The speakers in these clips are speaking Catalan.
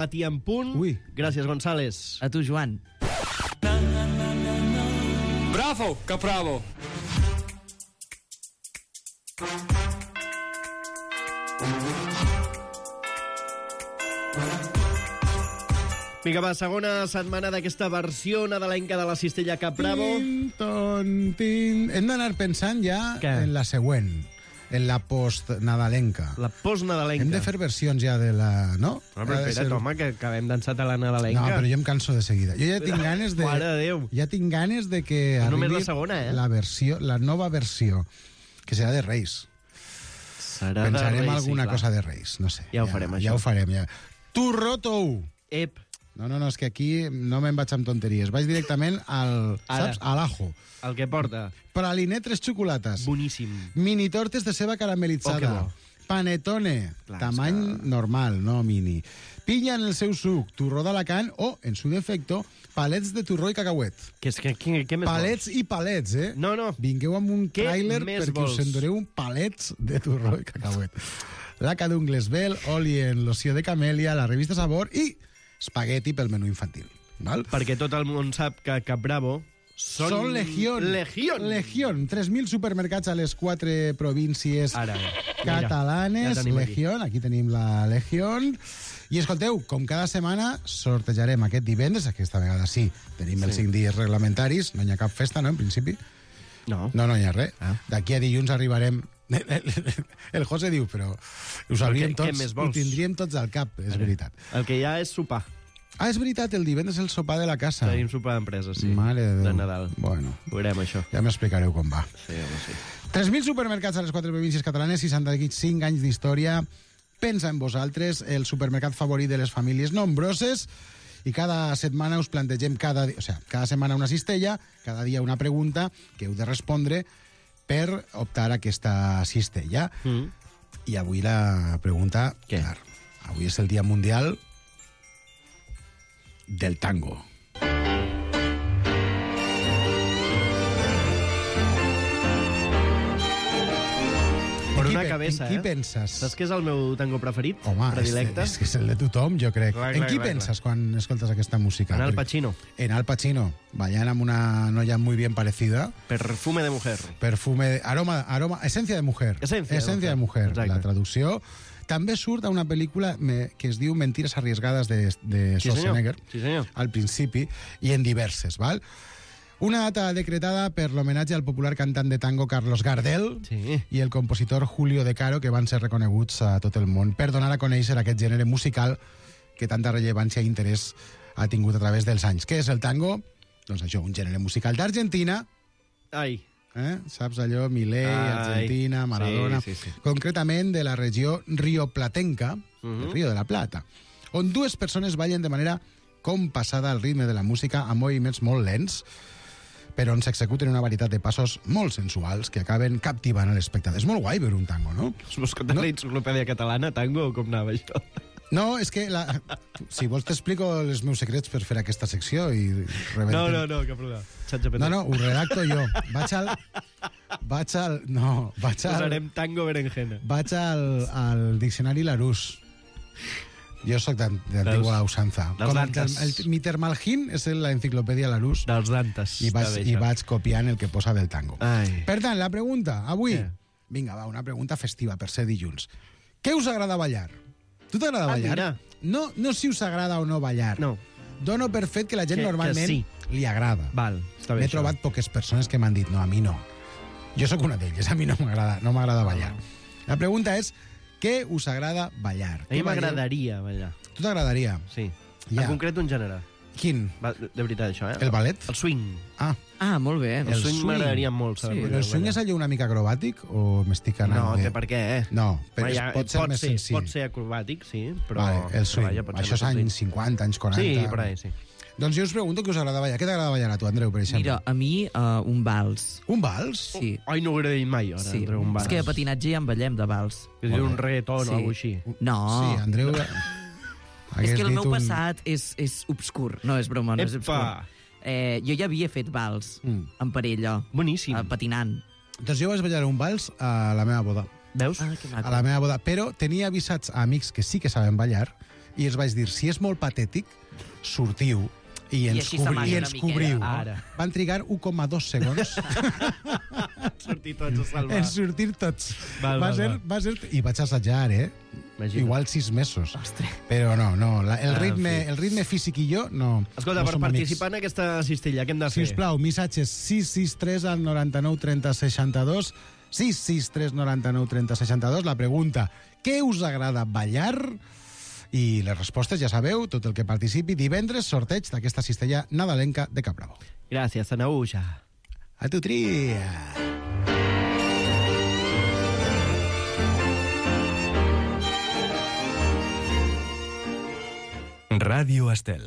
Matí en punt. Ui. Gràcies, González. A tu, Joan. Bravo, Capravo. Vinga, va, segona setmana d'aquesta versió nadalenca de la Cistella Capravo. Hem d'anar pensant ja Què? en la següent, en la post-nadalenca. La post-nadalenca. Hem de fer versions ja de la... No? No, però espera't, home, que acabem d'ençat a la nadalenca. No, però jo em canso de seguida. Jo ja tinc ganes de... Mare de Déu. Ja tinc ganes de que És arribi només la segona, la nova versió, que serà de Reis. Serà Pensarem de Reis, alguna sí, cosa de Reis, no sé. Ja ho farem, això. Ja ho farem, ja. Turró tou! Ep, No, és que aquí no me'n vaig amb tonteries. Vaig directament al... Ara. Saps? A l'ajo. el que porta. Praliné 3 xocolates. Boníssim. Mini tortes de ceba caramelitzada. Oh, que Panetone, Clar, tamany és que- normal, no mini. Pinya en el seu suc, turró d'Alacant o, en su defecto, palets de turró i cacauet. Què més Palets i palets, eh? No, no. Vingueu amb un Què tràiler més perquè vols? us endureu un palets de turró i cacauet. Laca d'ungles Bel, oli en loció de camèlia, la revista Sabor i espagueti pel menú infantil. Val? Perquè tot el món sap que Capravo Són Legión. Legión. Legión. 3.000 supermercats a les 4 províncies Ara, catalanes. ja tenim aquí. Legión, aquí tenim la Legión. I escolteu, com cada setmana sortejarem aquest divendres, aquesta vegada sí, tenim els 5 dies reglamentaris, no hi ha cap festa, no, en principi? No. No hi ha res. Ah. D'aquí a dilluns arribarem... El José diu, però ho sabríem què tots, més ho vols? tindríem tots al cap, és veritat. El que hi ha és sopar. Ah, és veritat, el divendres és el sopar de la casa. Tenim sopar d'empresa, sí. Mare de Déu. De Nadal. Bueno, Veurem això. ja m'explicareu com va. Sí, home, sí. 3.000 supermercats a les 4 províncies catalanes, 65 anys d'història. Pensa en vosaltres, el supermercat favorit de les famílies nombroses, i cada setmana us plantegem cada setmana una cistella, cada dia una pregunta que heu de respondre per optar a aquesta cistella. I avui la pregunta, Què? clar, avui és el Dia Mundial del Tango. Per una En cabeza, qui penses? Saps què és el meu tango preferit? Home, Predilecte? és que és el de tothom, jo crec. Clar, En clar, qui clar, penses quan escoltes aquesta música? En Al Perquè- Pacino. En Al Pacino, ballant amb una noia muy bien parecida. Perfume de mujer. Perfume, aroma, esencia de mujer. Esencia de mujer, Exacte. la traducció. També surt a una pel·lícula que es diu Mentires arriesgades de Sí, senyor. Schwarzenegger, Sí, senyor. al principi, i en diverses, val? Una data decretada per l'homenatge al popular cantant de tango Carlos Gardel Sí. i el compositor Julio De Caro, que van ser reconeguts a tot el món per donar a conèixer aquest gènere musical que tanta rellevància i interès ha tingut a través dels anys. Què és el tango? Doncs això, un gènere musical d'Argentina, Ai, saps allò, Milei, Ai, Argentina, Maradona, sí, sí, sí. concretament de la regió rioplatenca, el Río de la Plata, on dues persones ballen de manera compassada al ritme de la música amb moviments molt lents, però on s'executen una varietat de passos molt sensuals que acaben captivant a l'espectador. És molt guai veure un tango, no? vols que la enciclopèdia catalana, tango, o com anava això? No, és que si vols t'explico els meus secrets per fer aquesta secció i rebentar. No, que perdó. ChatGPT. No, ho redacto jo. Posarem tango berenjena. Vaig al diccionari Larousse. Jo sóc d'antigua usanza. Dels Dantes. Mi Termalgin és l'enciclopèdia Larousse Dels Dantes. i vaig copiant el que posa del tango. Ai. Per tant, la pregunta, avui... Què? Vinga, va, una pregunta festiva per ser dilluns. Què us agrada ballar? Tu t'agrada ballar? mira. No si us agrada o no ballar. No. Dono per fet que la gent Que normalment sí. li agrada. Val, està bé M'he això. trobat poques persones que m'han dit no, a mi no. Jo sóc una d'elles, a mi no m'agrada ballar. La pregunta és, què us agrada ballar? A mi Què balleu? m'agradaria ballar. Tu t'agradaria? Sí. Ja. En concret, un gènere. Quin? Va, de veritat, això, El ballet? El swing. Ah, Ah, molt bé. El swing swing. m'agradaria molt saber. Sí, però el swing és allò una mica acrobàtic o m'estic anant No, bé? té per què, No, però Vaja, pot ser més senzill. Pot ser acrobàtic, sí, però... Vale, el swing. Vaja, pot ser Això és més anys senzill. 50, anys 40. Sí, per ahí, sí. Doncs jo us pregunto què us agrada ballar. Què t'agrada ballar a tu, Andreu, per exemple? Mira, a mi un vals. Un vals? Sí. Ai, no ho he dit mai, ara, Sí. entre un vals. És que a patinatge ja en ballem de vals. És un reggaeton Sí. o alguna així. No. Sí, Andreu... És que el meu dit un- passat és obscur. No és broma, no és Epa! obscur. Jo ja havia fet vals en parella, Boníssim. patinant. Doncs jo vaig ballar un vals a la meva boda. Veus? Ah, que maco. A la meva boda. Però tenia avisats a amics que sí que saben ballar i els vaig dir, si és molt patètic, sortiu i ens així s'amaga una cobriu. miqueta. Ara. Van trigar 1,2 segons Sortir tots a salvar. en sortir tots. Val. Va ser... I vaig assajar, Imagina't. Igual 6 mesos. Però no, el ritme físic i jo no. Escolta, no per som participar en aquesta cistella, què hem de fer? Sisplau, missatges 663 al 99 30 62, 663 99 30 62. La pregunta, què us agrada ballar? I les respostes, ja sabeu, tot el que participi, divendres, sorteig d'aquesta cistella nadalenca de Capravo. Gràcies, Anauja. A tu tria! Radio Estel.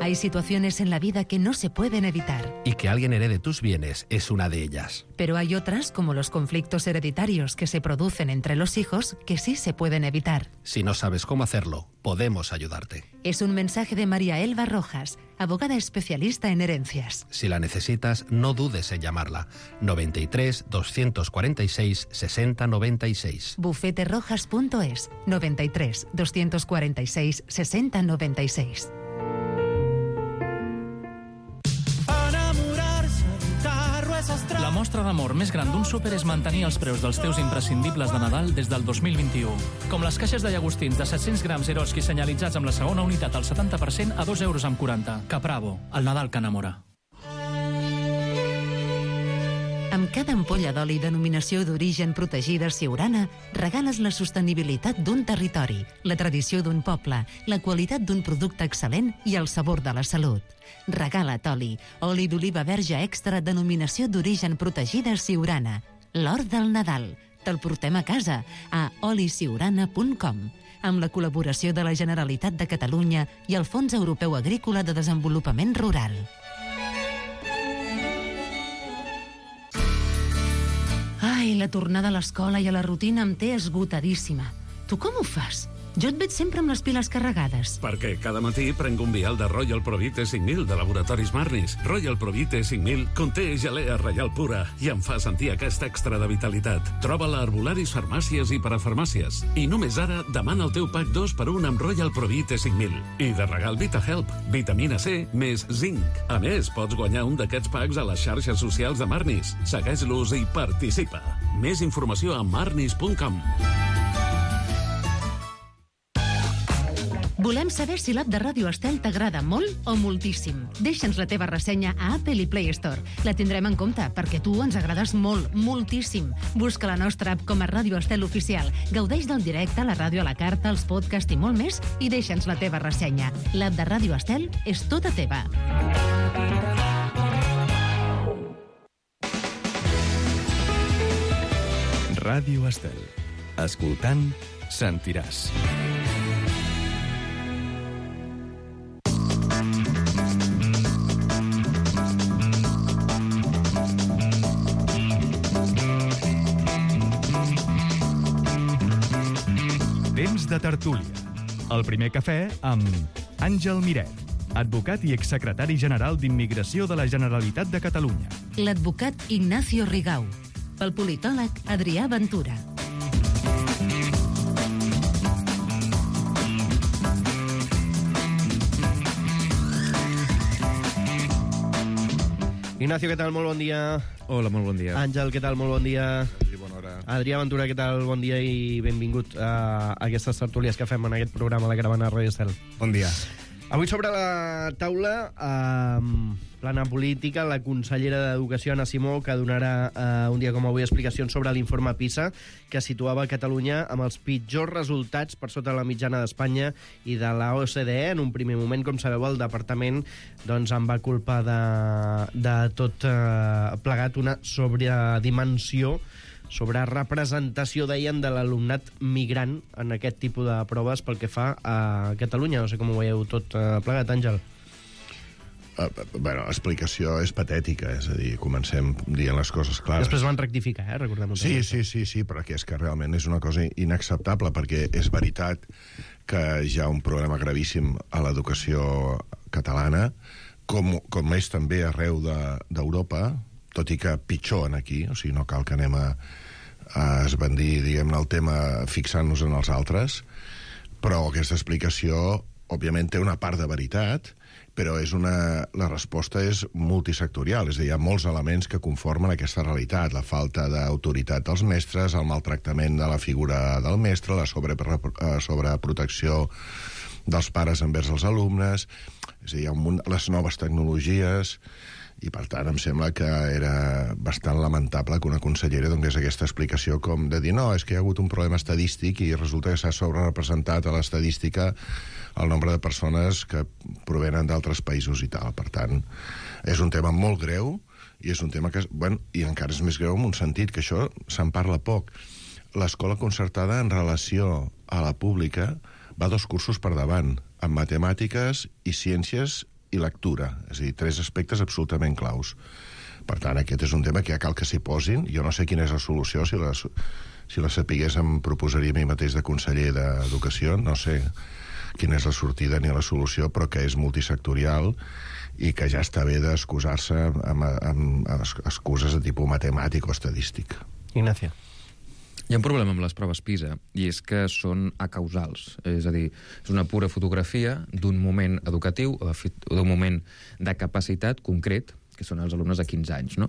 Hay situaciones en la vida que no se pueden evitar, Y que alguien herede tus bienes es una de ellas. pero hay otras, como los conflictos hereditarios que se producen entre los hijos, que sí se pueden evitar. Si no sabes cómo hacerlo, podemos ayudarte. Es un mensaje de María Elba Rojas, abogada especialista en herencias. Si la necesitas, no dudes en llamarla. 93 246 60 96. Bufeterrojas.es, 93 246 60 96. La mostra d'amor més gran d'un súper és mantenir els preus dels teus imprescindibles de Nadal des del 2021. Com les caixes de llagostins de 700 grams Eroski senyalitzats amb la segona unitat al 70% a 2,40 €. Capravo, el Nadal que enamora. Amb cada ampolla d'oli denominació d'origen protegida Siurana, regales la sostenibilitat d'un territori, la tradició d'un poble, la qualitat d'un producte excel·lent i el sabor de la salut. Regala't oli d'oliva verge extra denominació d'origen protegida Siurana. L'or del Nadal. Te'l portem a casa a olisiurana.com, amb la col·laboració de la Generalitat de Catalunya i el Fons Europeu Agrícola de Desenvolupament Rural. Ai, la tornada a l'escola i a la rutina em té esgotadíssima. Tu com ho fas? Jo et veig sempre amb les piles carregades. Perquè cada matí prenc un vial de Royal Provite 5000 de Laboratoris Marnis. Royal Provite 5000 conté gelea reial pura i em fa sentir aquest extra de vitalitat. Troba-la a herbolaris, farmàcies i parafarmàcies. I només ara demana el teu pack 2x1 amb Royal Provite 5000. I de regal VitaHelp, vitamina C més zinc. A més, pots guanyar un d'aquests packs a les xarxes socials de Marnis. Segueix-los i participa. Més informació a marnis.com. Volem saber si l'app de Ràdio Estel t'agrada molt o moltíssim. Deixa'ns la teva ressenya a Apple i Play Store. La tindrem en compte, perquè tu ens agrades molt, moltíssim. Busca la nostra app com a Ràdio Estel Oficial. Gaudeix del directe, la ràdio a la carta, els podcasts i molt més, i deixa'ns la teva ressenya. L'app de Ràdio Estel és tota teva. Ràdio Estel. Escoltant, sentiràs. Temps de tertúlia. El primer cafè amb Àngel Miret, advocat i exsecretari general d'Immigració de la Generalitat de Catalunya. L'advocat Ignacio Rigau. Pel politòleg Adrià Ventura. Ignacio, què tal? Molt bon dia. Hola, molt bon dia. Àngel, què tal? Molt bon dia. Sí, bona hora. Adrià Ventura, què tal? Bon dia i benvingut a aquestes tertúlies que fem en aquest programa, la Caravana Ràdio Estel. Bon dia. Avui sobre la taula, plana política, la consellera d'Educació, Anna Simó, que donarà un dia com avui explicacions sobre l'informe PISA, que situava Catalunya amb els pitjors resultats per sota la mitjana d'Espanya i de la OCDE. En un primer moment, com sabeu, el departament doncs, en va culpar de tot plegat una sobredimensió, sobre representació, deien, de l'alumnat migrant en aquest tipus de proves pel que fa a Catalunya. No sé com ho veieu tot plegat, Àngel. Bueno, l'explicació és patètica, és a dir, comencem dient les coses clares. Després van rectificar, recordem-ho. Sí, però que és que realment és una cosa inacceptable, perquè és veritat que hi ha un problema gravíssim a l'educació catalana, com és també arreu d'Europa, tot i que pitjor en aquí, o sigui, no cal que anem a esbandir, diguem-ne, el tema fixant-nos en els altres, però aquesta explicació, òbviament, té una part de veritat, però la resposta és multisectorial, és a dir, hi ha molts elements que conformen aquesta realitat, la falta d'autoritat dels mestres, el maltractament de la figura del mestre, la sobreprotecció dels pares envers els alumnes, és a dir, hi ha les noves tecnologies, i per tant em sembla que era bastant lamentable que una consellera donés aquesta explicació com de dir, no, és que hi ha hagut un problema estadístic i resulta que s'ha sobrerepresentat a l'estadística el nombre de persones que provenen d'altres països i tal. Per tant, és un tema molt greu i és un tema que, bueno, i encara és més greu en un sentit, que això se'n parla poc. L'escola concertada en relació a la pública va 2 cursos per davant, en matemàtiques i ciències i lectura, és a dir, 3 aspectes absolutament claus. Per tant, aquest és un tema que ja cal que s'hi posin. Jo no sé quina és la solució, si la sapigués em proposaria a mi mateix de conseller d'Educació, no sé quina és la sortida ni la solució, però que és multisectorial i que ja està bé d'excusar-se amb excuses de tipus matemàtic o estadístic. Ignacio. Hi ha un problema amb les proves PISA, i és que són acausals. És a dir, és una pura fotografia d'un moment educatiu, d'un moment de capacitat concret, que són els alumnes de 15 anys. No?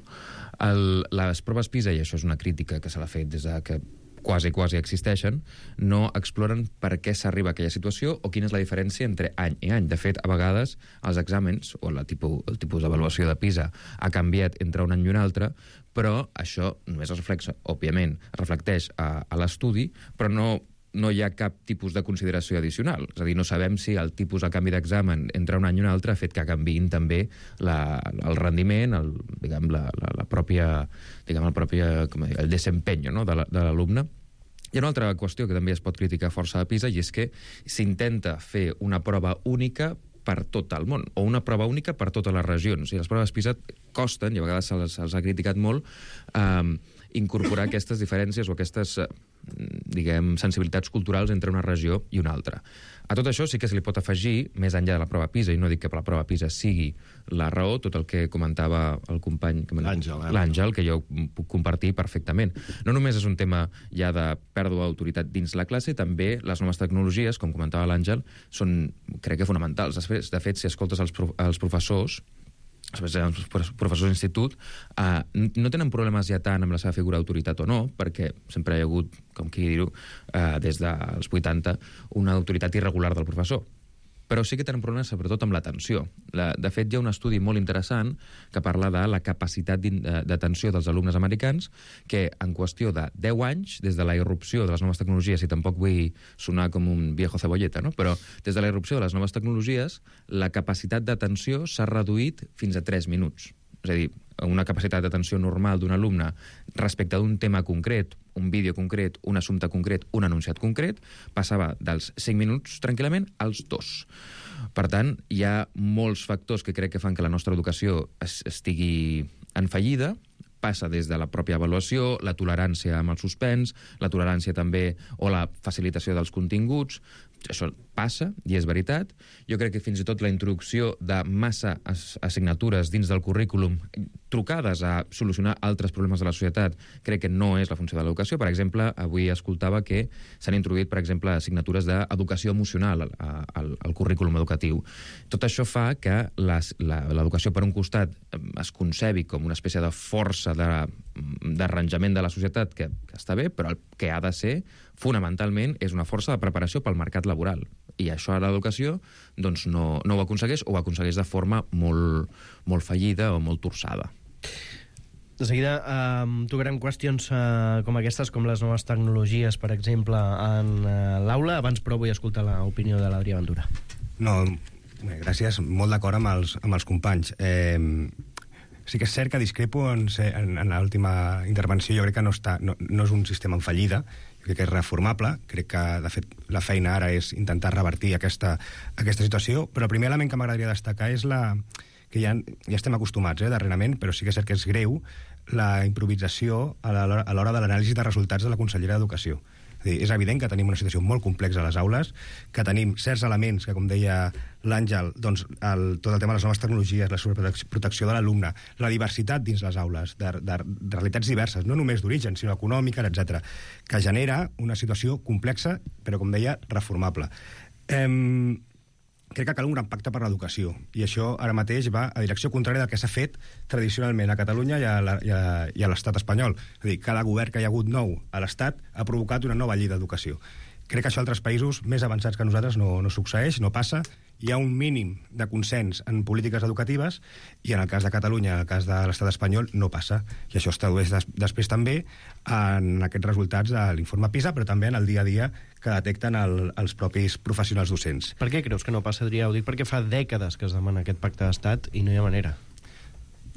Les proves PISA, i això és una crítica que se l'ha fet des de que quasi existeixen, no exploren per què s'arriba a aquella situació o quina és la diferència entre any i any. De fet, a vegades els exàmens o el tipus d'avaluació de PISA ha canviat entre un any i un altre, però això només es reflecteix a l'estudi, però no hi ha cap tipus de consideració addicional. És a dir, no sabem si el tipus de canvi d'examen entre un any i un altre ha fet que canviïn també el rendiment, el desempeño, no?, de l'alumne. Hi ha una altra qüestió que també es pot criticar força de PISA, i és que s'intenta fer una prova única per tot el món, o una prova única per totes les regions. I les proves PISA costen, i a vegades se'ls ha criticat molt, incorporar aquestes diferències o aquestes, sensibilitats culturals entre una regió i una altra. A tot això sí que se li pot afegir, més enllà de la prova PISA, i no dic que la prova PISA sigui la raó, tot el que comentava el company l'Àngel, que jo puc compartir perfectament. No només és un tema ja de pèrdua d'autoritat dins la classe, també les noves tecnologies, com comentava l'Àngel, són, crec que, fonamentals. De fet, si escoltes els professors, els professors d'institut, no tenen problemes ja tant amb la seva figura d'autoritat o no, perquè sempre hi ha hagut, com qui dir-ho, des dels 80, una autoritat irregular del professor. Però sí que tenen problemes sobretot amb l'atenció. De fet, hi ha un estudi molt interessant que parla de la capacitat d'atenció dels alumnes americans, que en qüestió de 10 anys, des de la irrupció de les noves tecnologies, i tampoc vull sonar com un viejo cebolleta, no? Però des de la irrupció de les noves tecnologies, la capacitat d'atenció s'ha reduït fins a 3 minuts. És a dir, una capacitat d'atenció normal d'un alumne respecte d'un tema concret, un vídeo concret, un assumpte concret, un anunciat concret, passava dels 5 minuts tranquil·lament als 2. Per tant, hi ha molts factors que crec que fan que la nostra educació estigui en fallida. Passa des de la pròpia avaluació, la tolerància amb el suspens, la tolerància també o la facilitació dels continguts. Això passa, i és veritat. Jo crec que fins i tot la introducció de massa assignatures dins del currículum trucades a solucionar altres problemes de la societat, crec que no és la funció de l'educació. Per exemple, avui escoltava que s'han introduït, per exemple, assignatures d'educació emocional al currículum educatiu. Tot això fa que l'educació, per un costat, es concebi com una espècie de força d'arranjament de la societat que està bé, però el que ha de ser, fonamentalment, és una força de preparació pel mercat laboral. I això a l'educació doncs, no ho aconsegueix, o ho aconsegueix de forma molt fallida o molt torçada. De seguida tocarem qüestions com aquestes, com les noves tecnologies, per exemple, en l'aula. Abans, però, vull escoltar l'opinió de l'Adrià Ventura. No, gràcies. Molt d'acord amb els companys. Sí que és cert que discrepo en l'última intervenció. Jo crec que no és un sistema en fallida, jo crec que és reformable. Crec que, de fet, la feina ara és intentar revertir aquesta situació, però el primer element que m'agradaria destacar és que ja estem acostumats darrerament, però sí que és cert que és greu la improvisació a l'hora de l'anàlisi de resultats de la consellera d'Educació. És evident que tenim una situació molt complexa a les aules, que tenim certs elements que, com deia l'Àngel, doncs, tot el tema de les noves tecnologies, la sobreprotecció de l'alumne, la diversitat dins les aules, de realitats diverses, no només d'origen, sinó econòmica, etc., que genera una situació complexa, però, com deia, reformable. Crec que cal un gran pacte per l'educació, i això ara mateix va a direcció contrària del que s'ha fet tradicionalment a Catalunya i a l'Estat espanyol. És a dir, cada govern que hi ha hagut nou a l'Estat ha provocat una nova llei d'educació. Crec que això a altres països més avançats que nosaltres no succeeix, no passa. Hi ha un mínim de consens en polítiques educatives i en el cas de Catalunya, en el cas de l'Estat espanyol, no passa. I això es tradueix després també en aquests resultats de l'informe PISA, però també en el dia a dia que detecten els propis professionals docents. Per què creus que no passa, Adrià? Ho dic perquè fa dècades que es demana aquest pacte d'estat i no hi ha manera.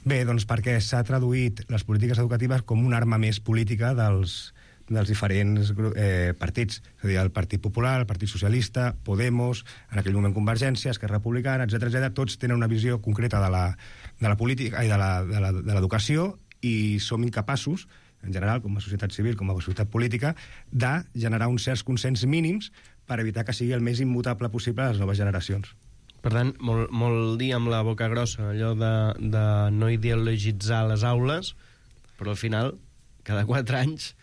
Bé, doncs perquè s'ha traduït les polítiques educatives com una arma més política dels diferents partits. És a dir, el Partit Popular, el Partit Socialista, Podemos, en aquell moment Convergència, Esquerra Republicana, etc., tots tenen una visió concreta de la política i de l'educació i som incapaços, en general, com a societat civil, com a societat política, de generar uns certs consens mínims per evitar que sigui el més immutable possible a les noves generacions. Per tant, molt dir amb la boca grossa, allò de no ideologitzar les aules, però al final, cada 4 anys,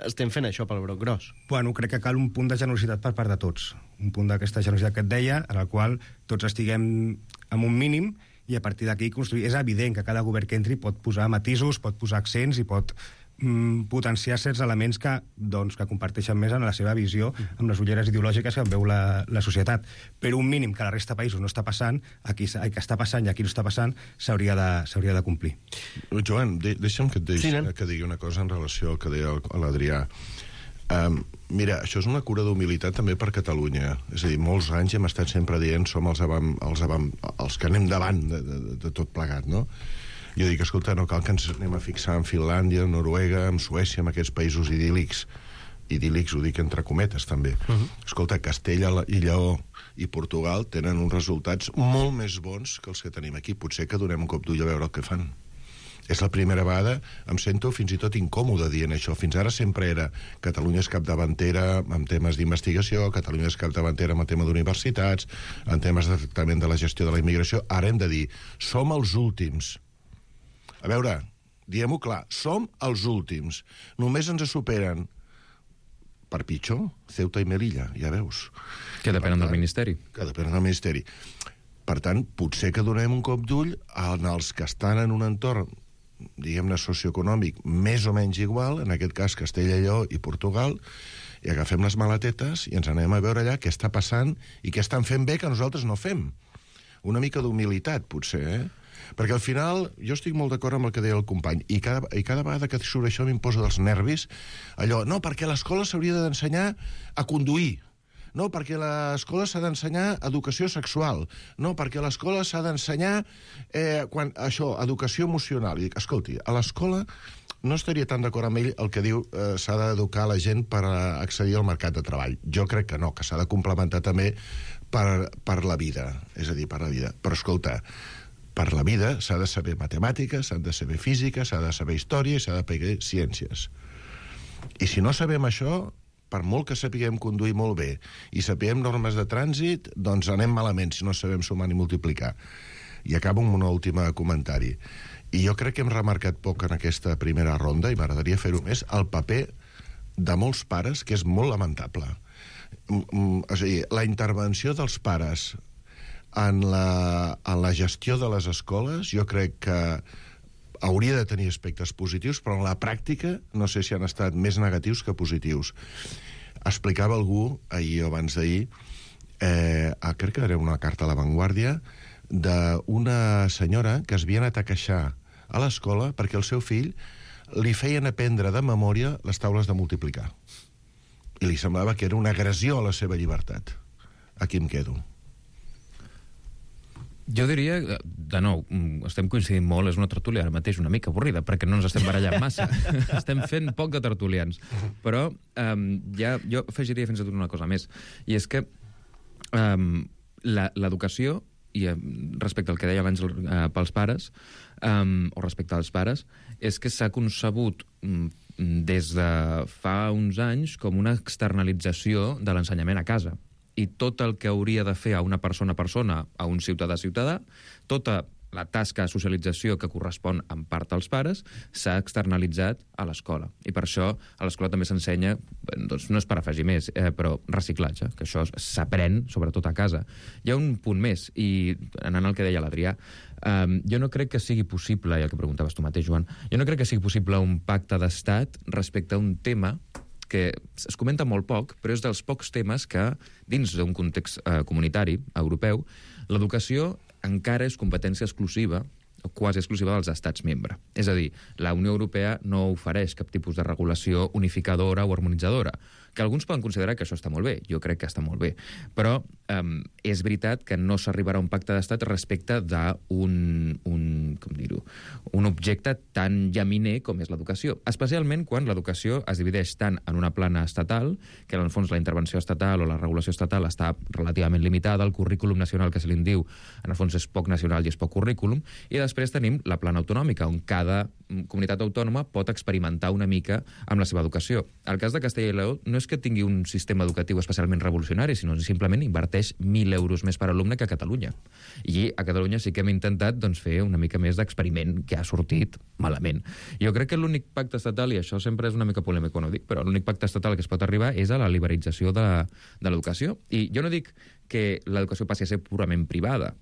estem fent això pel broc gros. Bueno, crec que cal un punt de generositat per part de tots. Un punt d'aquesta generositat que et deia, en el qual tots estiguem amb un mínim i a partir d'aquí construir. És evident que cada govern que entri pot posar matisos, pot posar accents i pot potenciar certs elements que comparteixen més en la seva visió amb les ulleres ideològiques que veu la societat. Però un mínim que a la resta de països no està passant, aquí que està passant i aquí no està passant, s'hauria de complir. Joan, deixa'm que digui una cosa en relació al que deia l'Adrià. Mira, això és una cura d'humilitat també per Catalunya. És a dir, molts anys hem estat sempre dient som els que anem davant de tot plegat, no? Jo dic, escolta, no cal que ens anem a fixar en Finlàndia, en Noruega, en Suècia, en aquests països idíl·lics. Idíl·lics ho dic entre cometes, també. Escolta, Castella i Lleó i Portugal tenen uns resultats molt més bons que els que tenim aquí. Potser que donem un cop d'ull a veure el que fan. És la primera vegada, em sento fins i tot incòmode dient això. Fins ara sempre era Catalunya és capdavantera en temes d'investigació, Catalunya és capdavantera en el tema d'universitats, en temes de tractament de la gestió de la immigració. Ara hem de dir, som els últims. A veure, diguem-ho clar, som els últims. Només ens superen, per pitjor, Ceuta i Melilla, ja veus. Que depenen del Ministeri. Que depenen del Ministeri. Per tant, potser que donem un cop d'ull als que estan en un entorn, diguem-ne, socioeconòmic, més o menys igual, en aquest cas Castella i Lleó i Portugal, i agafem les maletetes i ens anem a veure allà què està passant i què estan fent bé que nosaltres no fem. Una mica d'humilitat, potser, Perquè al final, jo estic molt d'acord amb el que deia el company, i cada vegada que surt això m'imposa dels nervis, allò, no, perquè l'escola s'hauria d'ensenyar a conduir, no, perquè a l'escola s'ha d'ensenyar educació sexual, no, perquè a l'escola s'ha d'ensenyar educació emocional. I dic, escolti, a l'escola no estaria tan d'acord amb ell el que diu s'ha d'educar la gent per accedir al mercat de treball. Jo crec que no, que s'ha de complementar també per la vida, és a dir, per la vida. Però escolta, per la vida s'ha de saber matemàtiques, s'ha de saber física, s'ha de saber història i s'ha de saber ciències. I si no sabem això, per molt que sapiguem conduir molt bé i sapiguem normes de trànsit, doncs anem malament si no sabem sumar ni multiplicar. I acabo amb un últim comentari. I jo crec que hem remarcat poc en aquesta primera ronda, i m'agradaria fer-ho més, el paper de molts pares, que és molt lamentable. És a dir, la intervenció dels pares en la gestió de les escoles, jo crec que hauria de tenir aspectes positius, però en la pràctica no sé si han estat més negatius que positius. Explicava algú, ahir o abans d'ahir, crec que era una carta a La Vanguardia, d'una senyora que es havia anat a queixar a l'escola perquè el seu fill li feien aprendre de memòria les taules de multiplicar. I li semblava que era una agressió a la seva llibertat. Aquí em quedo. Jo diria, de nou, estem coincidint molt, és una tertúlia ara mateix una mica avorrida, perquè no ens estem barallant massa. Estem fent poc de tertulians. Però jo afegiria fins i tot una cosa més, i és que l'educació i respecte al que deia l'Àngel pels pares, o respecte als pares, és que s'ha concebut des de fa uns anys com una externalització de l'ensenyament a casa. I tot el que hauria de fer a una persona a persona, a un ciutadà a ciutadà, tota la tasca de socialització que correspon en part als pares s'ha externalitzat a l'escola. I per això a l'escola també s'ensenya, doncs no és per afegir més, però reciclatge, que això s'aprèn sobretot a casa. Hi ha un punt més, i anant al que deia l'Adrià, jo no crec que sigui possible, i el que preguntaves tu mateix, Joan, jo no crec que sigui possible un pacte d'estat respecte a un tema que es comenta molt poc, però és dels pocs temes que, dins d'un context comunitari europeu, l'educació encara és competència exclusiva o quasi exclusiva dels estats membres. És a dir, la Unió Europea no ofereix cap tipus de regulació unificadora o harmonitzadora, que alguns poden considerar que això està molt bé, jo crec que està molt bé, però és veritat que no s'arribarà a un pacte d'estat respecte d'un objecte tan llaminer com és l'educació, especialment quan l'educació es divideix tant en una plana estatal, que en el fons la intervenció estatal o la regulació estatal està relativament limitada, el currículum nacional que se li diu, en el fons és poc nacional i és poc currículum, i després tenim la plana autonòmica, on cada comunitat autònoma pot experimentar una mica amb la seva educació. El cas de Castella i Lleó no és que tingui un sistema educatiu especialment revolucionari, sinó simplement inverteix 1.000 euros més per alumne que a Catalunya. I a Catalunya sí que hem intentat fer una mica més d'experiment que ha sortit malament. Jo crec que l'únic pacte estatal, i això sempre és una mica polèmic quan ho dic, però l'únic pacte estatal que es pot arribar és a la liberalització de l'educació. I jo no dic que l'educació passi a ser purament privada,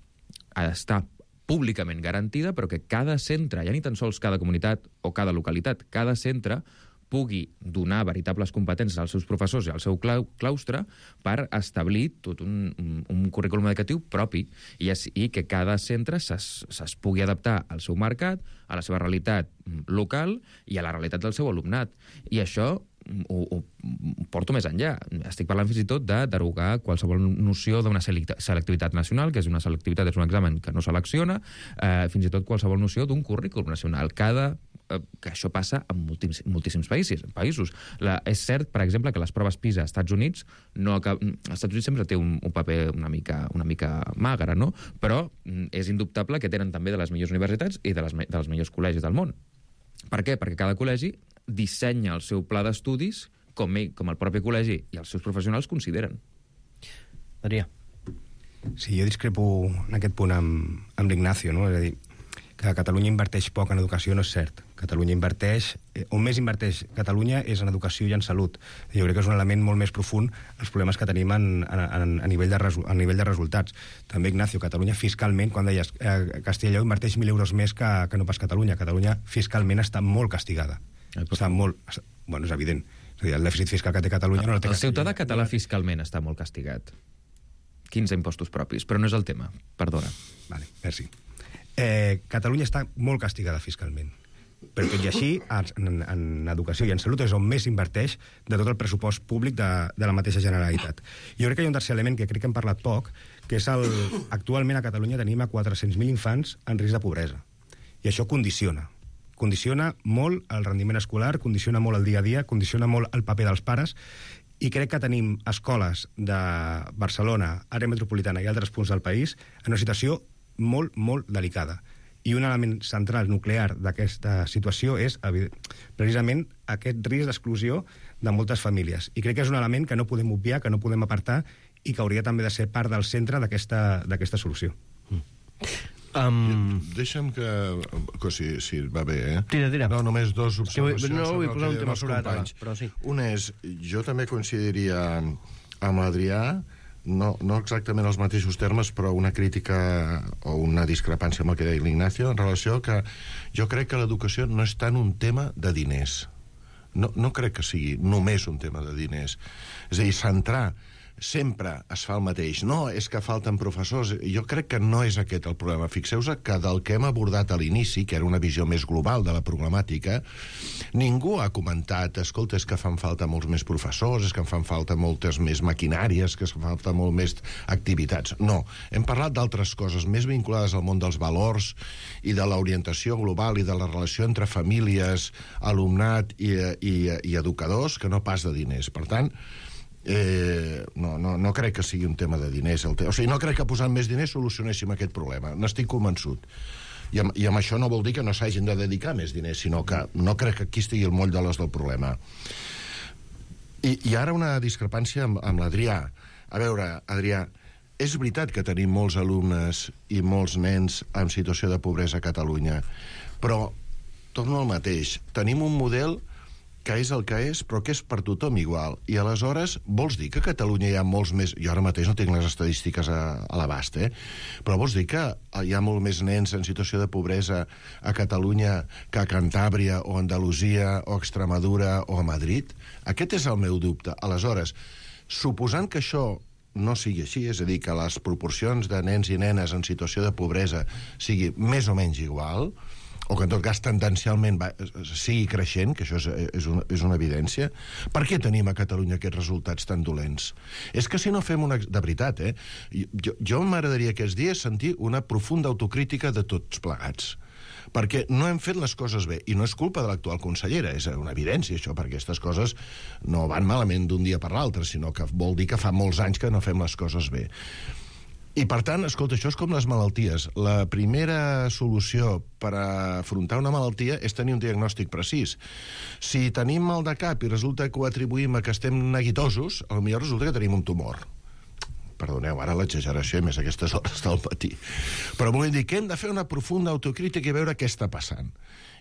ha d'estar públicament garantida, però que cada centre, ja ni tan sols cada comunitat o cada localitat, cada centre pugui donar veritables competències als seus professors i al seu claustre per establir tot un currículum educatiu propi i que cada centre es pugui adaptar al seu mercat, a la seva realitat local i a la realitat del seu alumnat. I això ho porto més enllà. Estic parlant fins i tot de derogar qualsevol noció d'una selectivitat nacional, que és una selectivitat, és un examen que no selecciona, fins i tot qualsevol noció d'un currículum nacional. Que això passa en moltíssims països. És cert, per exemple, que les proves PISA als Estats Units als Estats Units sempre té un paper una mica magre, no? Però és indubtable que tenen també de les millors universitats i dels millors col·legis del món. Per què? Perquè cada col·legi dissenya el seu pla d'estudis com el propi col·legi i els seus professionals consideren. Adrià. Sí, jo discrepo en aquest punt amb l'Ignacio, no? És a dir, que Catalunya inverteix poc en educació no és cert. Catalunya inverteix... On més inverteix Catalunya és en educació i en salut. Jo crec que és un element molt més profund els problemes que tenim a nivell de resultats. També, Ignacio, Catalunya fiscalment, quan deies Castella i Lleó inverteix 1.000 euros més que no pas Catalunya. Catalunya fiscalment està molt castigada. Està molt... Bueno, és evident. És a dir, el dèficit fiscal que té Catalunya no el té Castella. El ciutadà català fiscalment està molt castigat. 15 impostos propis, però no és el tema. Perdona. Vale, merci. Catalunya està molt castigada fiscalment. Però tot i així, en educació i en salut és on més inverteix de tot el pressupost públic de la mateixa Generalitat. Jo crec que hi ha un tercer element que crec que hem parlat poc, que és actualment a Catalunya tenim a 400.000 infants en risc de pobresa. I això condiciona. Condiciona molt el rendiment escolar, condiciona molt el dia a dia, condiciona molt el paper dels pares, i crec que tenim escoles de Barcelona, àrea metropolitana i altres punts del país en una situació molt, molt delicada. I un element central, nuclear, d'aquesta situació és, precisament, aquest risc d'exclusió de moltes famílies. I crec que és un element que no podem obviar, que no podem apartar, i que hauria també de ser part del centre d'aquesta solució. Deixa'm que si va bé, Tira. No, només dos observacions. No, vull posar un tema sobre ara, però sí. Un és, jo també coincidiria amb l'Adrià, no exactament els mateixos termes, però una crítica o una discrepància amb el que deia l'Ignacio en relació que jo crec que l'educació no és tant un tema de diners. No crec que sigui només un tema de diners. És a dir, centrar sempre es fa el mateix. No, és que falten professors. Jo crec que no és aquest el problema. Fixeu-vos que del que hem abordat a l'inici, que era una visió més global de la problemàtica, ningú ha comentat, escolta, és que fan falta molts més professors, és que fan falta moltes més maquinàries, que fan falta molt més activitats. No, hem parlat d'altres coses més vinculades al món dels valors i de l'orientació global i de la relació entre famílies, alumnat i educadors, que no pas de diners. Per tant, No crec que sigui un tema de diners. O sigui, no crec que posant més diners solucionéssim aquest problema. N'estic convençut. I amb això no vol dir que no s'hagin de dedicar més diners, sinó que no crec que aquí estigui el moll de l'os del problema. I ara una discrepància amb l'Adrià. A veure, Adrià, és veritat que tenim molts alumnes i molts nens en situació de pobresa a Catalunya, però torno al mateix. Tenim un model que és el que és, però que és per tothom igual. I aleshores, vols dir que a Catalunya hi ha molts més... Jo ara mateix no tinc les estadístiques a l'abast, però vols dir que hi ha molt més nens en situació de pobresa a Catalunya que a Cantàbria o Andalusia o Extremadura o a Madrid? Aquest és el meu dubte. Aleshores, suposant que això no sigui així, és a dir, que les proporcions de nens i nenes en situació de pobresa sigui més o menys igual, o que en tot cas tendencialment sigui creixent, que això és una evidència, per què tenim a Catalunya aquests resultats tan dolents? És que si no fem una... De veritat, jo m'agradaria aquests dies sentir una profunda autocrítica de tots plegats, perquè no hem fet les coses bé, i no és culpa de l'actual consellera, és una evidència això, perquè aquestes coses no van malament d'un dia per l'altre, sinó que vol dir que fa molts anys que no fem les coses bé. I, per tant, escolta, això és com les malalties. La primera solució per afrontar una malaltia és tenir un diagnòstic precís. Si tenim mal de cap i resulta que ho atribuïm a que estem neguitosos, potser resulta que tenim un tumor. Perdoneu, ara l'exageració, més a aquestes hores del matí. Però vull dir que hem de fer una profunda autocrítica i veure què està passant.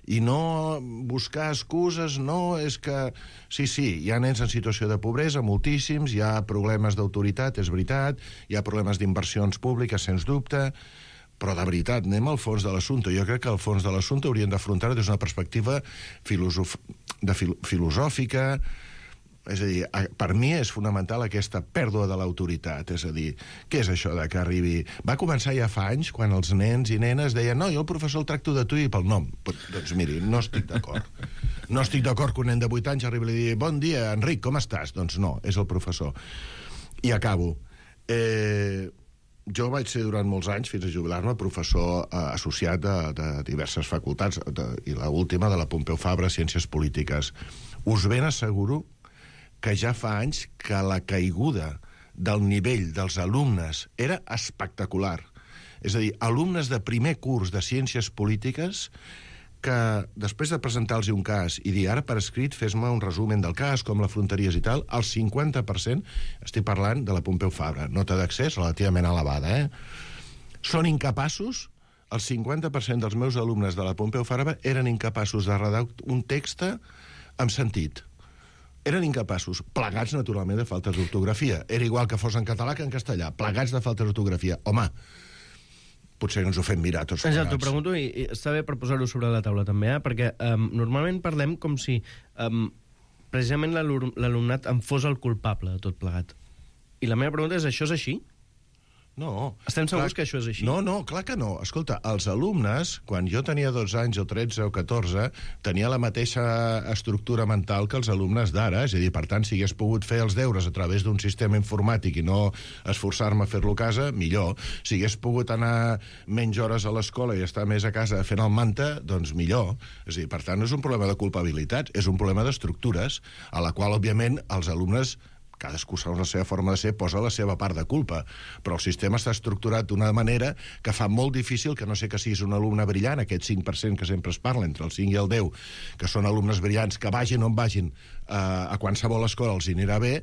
I no buscar excuses, no, és que... Sí, hi ha nens en situació de pobresa, moltíssims, hi ha problemes d'autoritat, és veritat, hi ha problemes d'inversions públiques, sens dubte, però de veritat, anem al fons de l'assumpte. Jo crec que al fons de l'assumpte hauríem d'afrontar des d'una perspectiva filosòfica. És a dir, per mi és fonamental aquesta pèrdua de l'autoritat. És a dir, què és això de que arribi... Va començar ja fa anys, quan els nens i nenes deien no, jo el professor el tracto de tu i pel nom. Doncs miri, no estic d'acord. No estic d'acord que un nen de 8 anys arribi i li digui bon dia, Enric, com estàs? Doncs no, és el professor. I acabo. Jo vaig ser durant molts anys, fins a jubilar-me, professor associat de diverses facultats, i l'última de la Pompeu Fabra, Ciències Polítiques. Us ben asseguro que ja fa anys que la caiguda del nivell dels alumnes era espectacular. És a dir, alumnes de primer curs de Ciències Polítiques que, després de presentar-los un cas i dir, ara per escrit, fes-me un resumen del cas, com l'afrontaries i tal, el 50%, estic parlant de la Pompeu Fabra, nota d'accés relativament elevada, són incapaços, el 50% dels meus alumnes de la Pompeu Fabra eren incapaços de redactar un text amb sentit. Eren incapaços, plegats, naturalment, de faltes d'ortografia. Era igual que fos en català que en castellà, plegats de faltes d'ortografia. Home, potser ens ho fem mirar tots plegats. Ja t'ho pregunto, i està bé per posar-ho sobre la taula també, perquè normalment parlem com si precisament l'alumnat en fos el culpable de tot plegat. I la meva pregunta és, això és així? No. Estem segurs que això és així? No, clar que no. Escolta, els alumnes, quan jo tenia 12 anys o 13 o 14, tenia la mateixa estructura mental que els alumnes d'ara, és a dir, per tant, si hagués pogut fer els deures a través d'un sistema informàtic i no esforçar-me a fer-lo a casa, millor. Si hagués pogut anar menys hores a l'escola i estar més a casa fent el manta, doncs millor. És a dir, per tant, no és un problema de culpabilitat, és un problema d'estructures, a la qual, òbviament, els alumnes, cadascú segons la seva forma de ser, posa la seva part de culpa, però el sistema està estructurat d'una manera que fa molt difícil que no sé que siguis un alumne brillant, aquest 5% que sempre es parla, entre el 5 i el 10, que són alumnes brillants, que vagin on vagin, a qualsevol escola els anirà bé,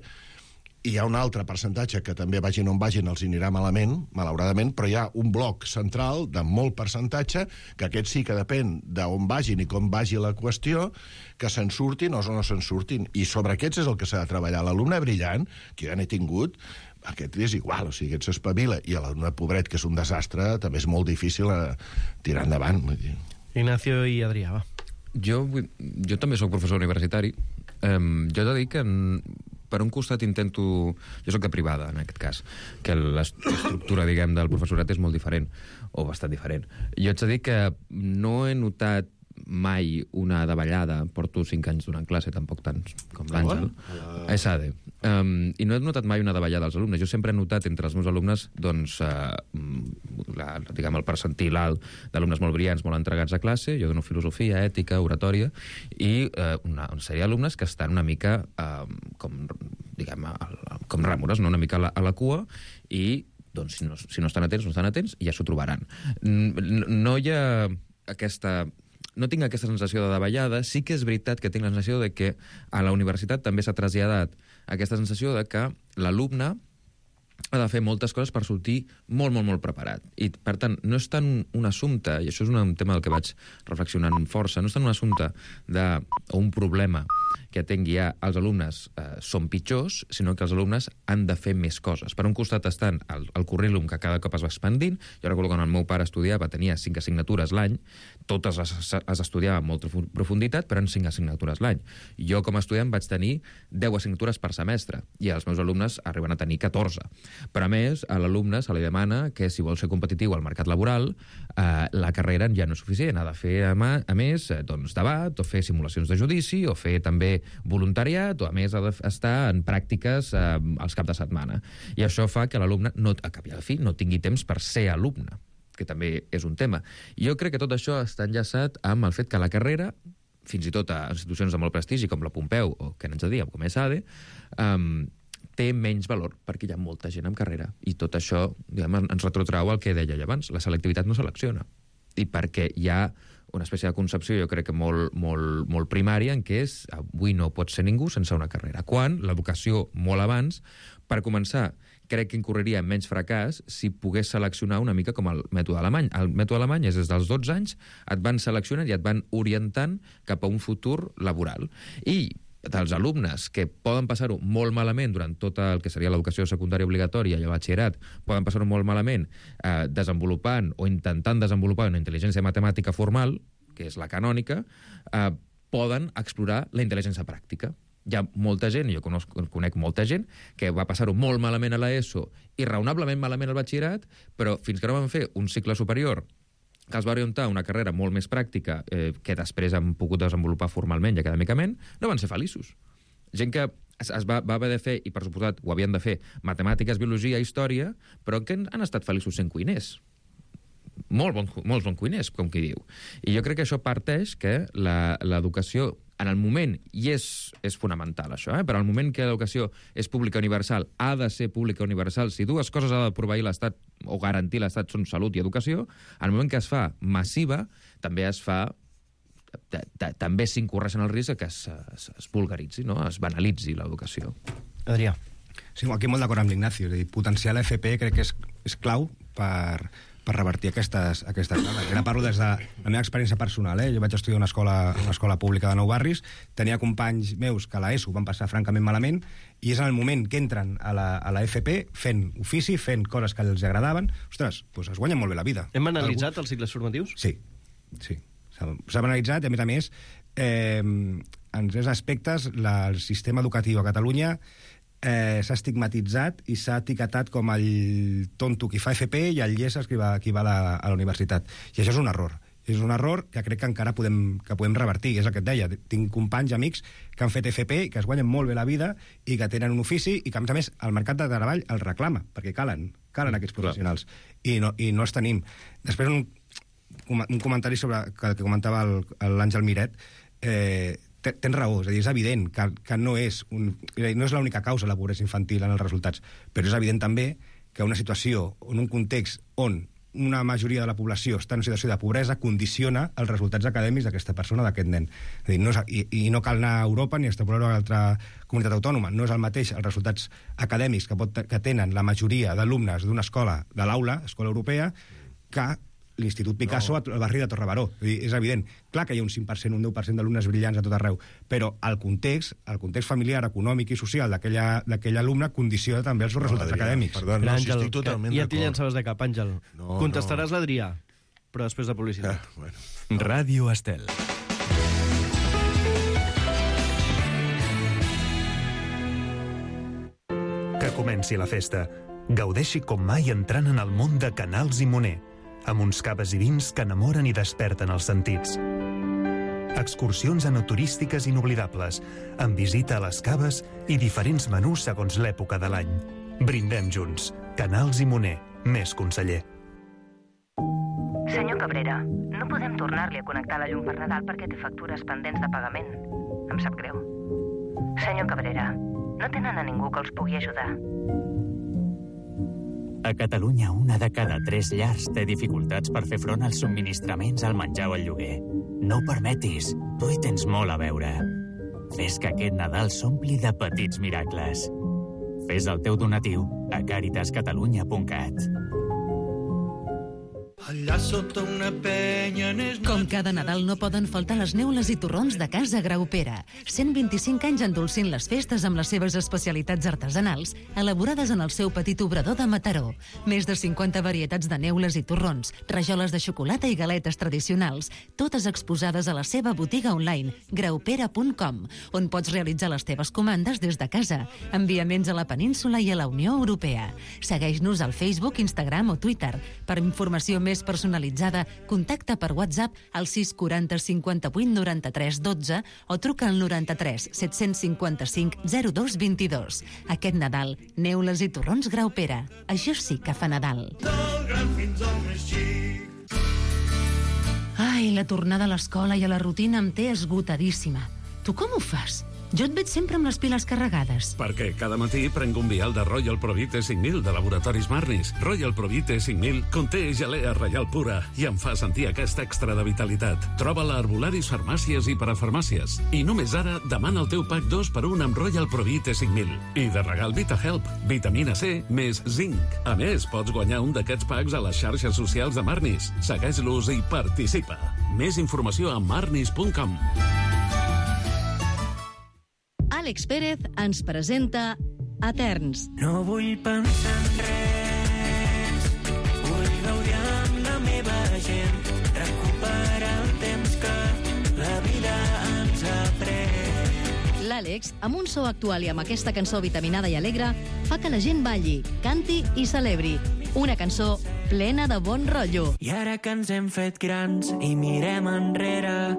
i hi ha un altre percentatge que també vagin on vagin els anirà malament, malauradament, però hi ha un bloc central de molt percentatge, que aquest sí que depèn d'on vagin i com vagi la qüestió, que se'n surtin o no se'n surtin. I sobre aquests és el que s'ha de treballar. L'alumne brillant, que jo ja n'he tingut, aquest és igual, o sigui, aquest s'espavila, i l'alumne pobret, que és un desastre, també és molt difícil tirar endavant. Ignacio i Adrià, va. Jo també soc professor universitari. Jo he de dir que per un costat intento... Jo soc de privada, en aquest cas, que l'estructura, diguem, del professorat és molt diferent, o bastant diferent. Jo haig de dir que no he notat mai una davallada, porto 5 anys donant classe, tampoc tants com l'Àngel, a ESADE, i no he notat mai una davallada als alumnes. Jo sempre he notat entre els meus alumnes, doncs, diguem, el percentil alt d'alumnes molt brillants, molt entregats a classe. Jo dono filosofia, ètica, oratòria, i una sèrie d'alumnes que estan una mica com, diguem, com rèmores, no? Una mica a la cua, i doncs, si no estan atents, ja s'ho trobaran. No hi ha aquesta... No tinc aquesta sensació de davallada. Sí que és veritat que tinc la sensació de que a la universitat també s'ha traslladat aquesta sensació de que l'alumne ha de fer moltes coses per sortir molt, molt, molt preparat. I, per tant, no és tant un assumpte, i això és un tema del que vaig reflexionant amb força, no és tant un assumpte o un problema que tingui ja els alumnes són pitjors, sinó que els alumnes han de fer més coses. Per un costat estan el currículum que cada cop es va expandint. Jo recordo quan el meu pare estudiava, tenia 5 assignatures l'any, totes les estudiava amb molta profunditat, però en 5 assignatures l'any. Jo, com a estudiant, vaig tenir 10 assignatures per semestre, i els meus alumnes arriben a tenir 14. Però, a més, a l'alumne se li demana que, si vol ser competitiu al mercat laboral, la carrera ja no és suficient. Ha de fer, a més, doncs, debat, o fer simulacions de judici, o fer també voluntariat, o a més ha d'estar en pràctiques als caps de setmana. I això fa que l'alumne, a cap i a la fi, no tingui temps per ser alumne, que també és un tema. Jo crec que tot això està enllaçat amb el fet que la carrera, fins i tot a institucions de molt prestigi com la Pompeu, o que n'ens de dir, com ESADE, té menys valor perquè hi ha molta gent en carrera. I tot això, diguem, ens retrotrau al que deia abans. La selectivitat no selecciona. I perquè hi ha una espècie de concepció, jo crec que molt primària, en què és avui no pot ser ningú sense una carrera. Quan l'educació, molt abans, per començar, crec que incorreria en menys fracàs si pogués seleccionar una mica com el mètode alemany. El mètode alemany és des dels 12 anys, et van seleccionant i et van orientant cap a un futur laboral. I dels alumnes que poden passar-ho molt malament durant tot el que seria l'educació secundària obligatòria i el batxillerat, poden passar-ho molt malament desenvolupant o intentant desenvolupar una intel·ligència matemàtica formal, que és la canònica, poden explorar la intel·ligència pràctica. Hi ha molta gent, jo conec molta gent, que va passar-ho molt malament a l'ESO i raonablement malament al batxillerat, però fins que no van fer un cicle superior que els va orientar una carrera molt més pràctica que després han pogut desenvolupar formalment i acadèmicament, no van ser feliços. Gent que es va haver de fer, i per suposat ho havien de fer, matemàtiques, biologia, història, però que han estat feliços sent cuiners. Molts bons cuiners, com qui diu. I jo crec que això parteix que l'educació, en el moment, i és fonamental això, però en el moment que l'educació és pública universal, ha de ser pública universal. Si dues coses ha de proveir l'Estat o garantir l'Estat són salut i educació, en el moment que es fa massiva, també es fa també s'incorreixen el risc que es vulgaritzi, no? Es banalitzi l'educació. Adrià. Sí, aquí molt d'acord amb l'Ignacio. És a dir, potenciar l'FP crec que és clau per revertir aquestes dades. Ara parlo des de la meva experiència personal. Jo vaig estudiar una escola pública de Nou Barris, tenia companys meus que a l'ESO van passar francament malament, i és en el moment que entren a la FP fent ofici, fent coses que els agradaven, ostres, doncs es guanyen molt bé la vida. Hem analitzat els cicles formatius? Sí. S'ha analitzat, i a més, en 3 aspectes, el sistema educatiu a Catalunya s'ha estigmatitzat i s'ha etiquetat com el tonto qui fa FP i el llesses qui va a la universitat. I això és un error. És un error que crec que encara podem revertir. És el que et deia. Tinc companys, amics, que han fet FP i que es guanyen molt bé la vida i que tenen un ofici i que, a més, el mercat de treball el reclama, perquè calen aquests professionals. I no els tenim. Després, un comentari sobre el que comentava l'Àngel Miret. Tens raó, és a dir, és evident que no és l'única causa la pobresa infantil en els resultats, però és evident també que una situació, en un context on una majoria de la població està en una situació de pobresa, condiciona els resultats acadèmics d'aquesta persona, d'aquest nen. És a dir, i no cal anar a Europa ni extrapolar-ho a altra comunitat autònoma. No és el mateix els resultats acadèmics que tenen la majoria d'alumnes d'una escola de l'aula, escola europea, que l'Institut Picasso al barri de Torre Baró. És evident. Clar que hi ha un 5%, un 10% d'alumnes brillants a tot arreu, però el context familiar, econòmic i social d'aquell alumne condiciona també els seus resultats acadèmics. Perdó, si estic totalment d'acord. Ja t'hi llançaves de cap, Àngel. Contestaràs l'Adrià, però després de publicitat. Ràdio Estel. Que comenci la festa. Gaudeixi com mai entrant en el món de Canals i Moner, amb uns caves i vins que enamoren i desperten els sentits. Excursions enoturístiques inoblidables, amb visita a les caves i diferents menús segons l'època de l'any. Brindem junts. Canals i Moner, més conseller. Senyor Cabrera, no podem tornar-li a connectar la llum per Nadal perquè té factures pendents de pagament. Em sap greu. Senyor Cabrera, No tenen a ningú que els pugui ajudar. A Catalunya, 1 de cada 3 llars té dificultats per fer front als subministraments, al menjar o al lloguer. No ho permetis, tu hi tens molt a veure. Fes que aquest Nadal s'ompli de petits miracles. Fes el teu donatiu a caritascatalunya.cat. Allà sota una penya... Com cada Nadal no poden faltar les neules i torrons de Casa Graupera. 125 anys endolcint les festes amb les seves especialitats artesanals, elaborades en el seu petit obrador de Mataró. Més de 50 varietats de neules i torrons, rajoles de xocolata i galetes tradicionals, totes exposades a la seva botiga online, graupera.com, on pots realitzar les teves comandes des de casa. Enviaments a la península i a la Unió Europea. Segueix-nos al Facebook, Instagram o Twitter. Per informació més personalitzada, contacta per WhatsApp al 640 58 93 12 o truca al 93 755 02 22. Aquest Nadal, neules i torrons Graupera. Això sí que fa Nadal. Ai, la tornada a l'escola i a la rutina em té esgotadíssima. Tu com ho fas? Jo et veig sempre amb les piles carregades. Perquè cada matí prenc un vial de Royal Provite 5000 de Laboratoris Marnis. Royal Provite 5000 conté gelea reial pura i em fa sentir aquest extra de vitalitat. Troba-la a herbolaris, farmàcies i parafarmàcies. I només ara demana el teu pack 2x1 amb Royal Provite 5000. I de regal VitaHelp, vitamina C més zinc. A més, pots guanyar un d'aquests packs a les xarxes socials de Marnis. Segueix-los i participa. Més informació a marnis.com. Àlex Pérez ens presenta Eterns. No vull pensar en res, vull gaudir amb la meva gent, recuperar el temps que la vida ens ha pres. L'Àlex, amb un so actual i amb aquesta cançó vitaminada i alegre, fa que la gent balli, canti i celebri. Una cançó plena de bon rotllo. I ara que ens hem fet grans i mirem enrere,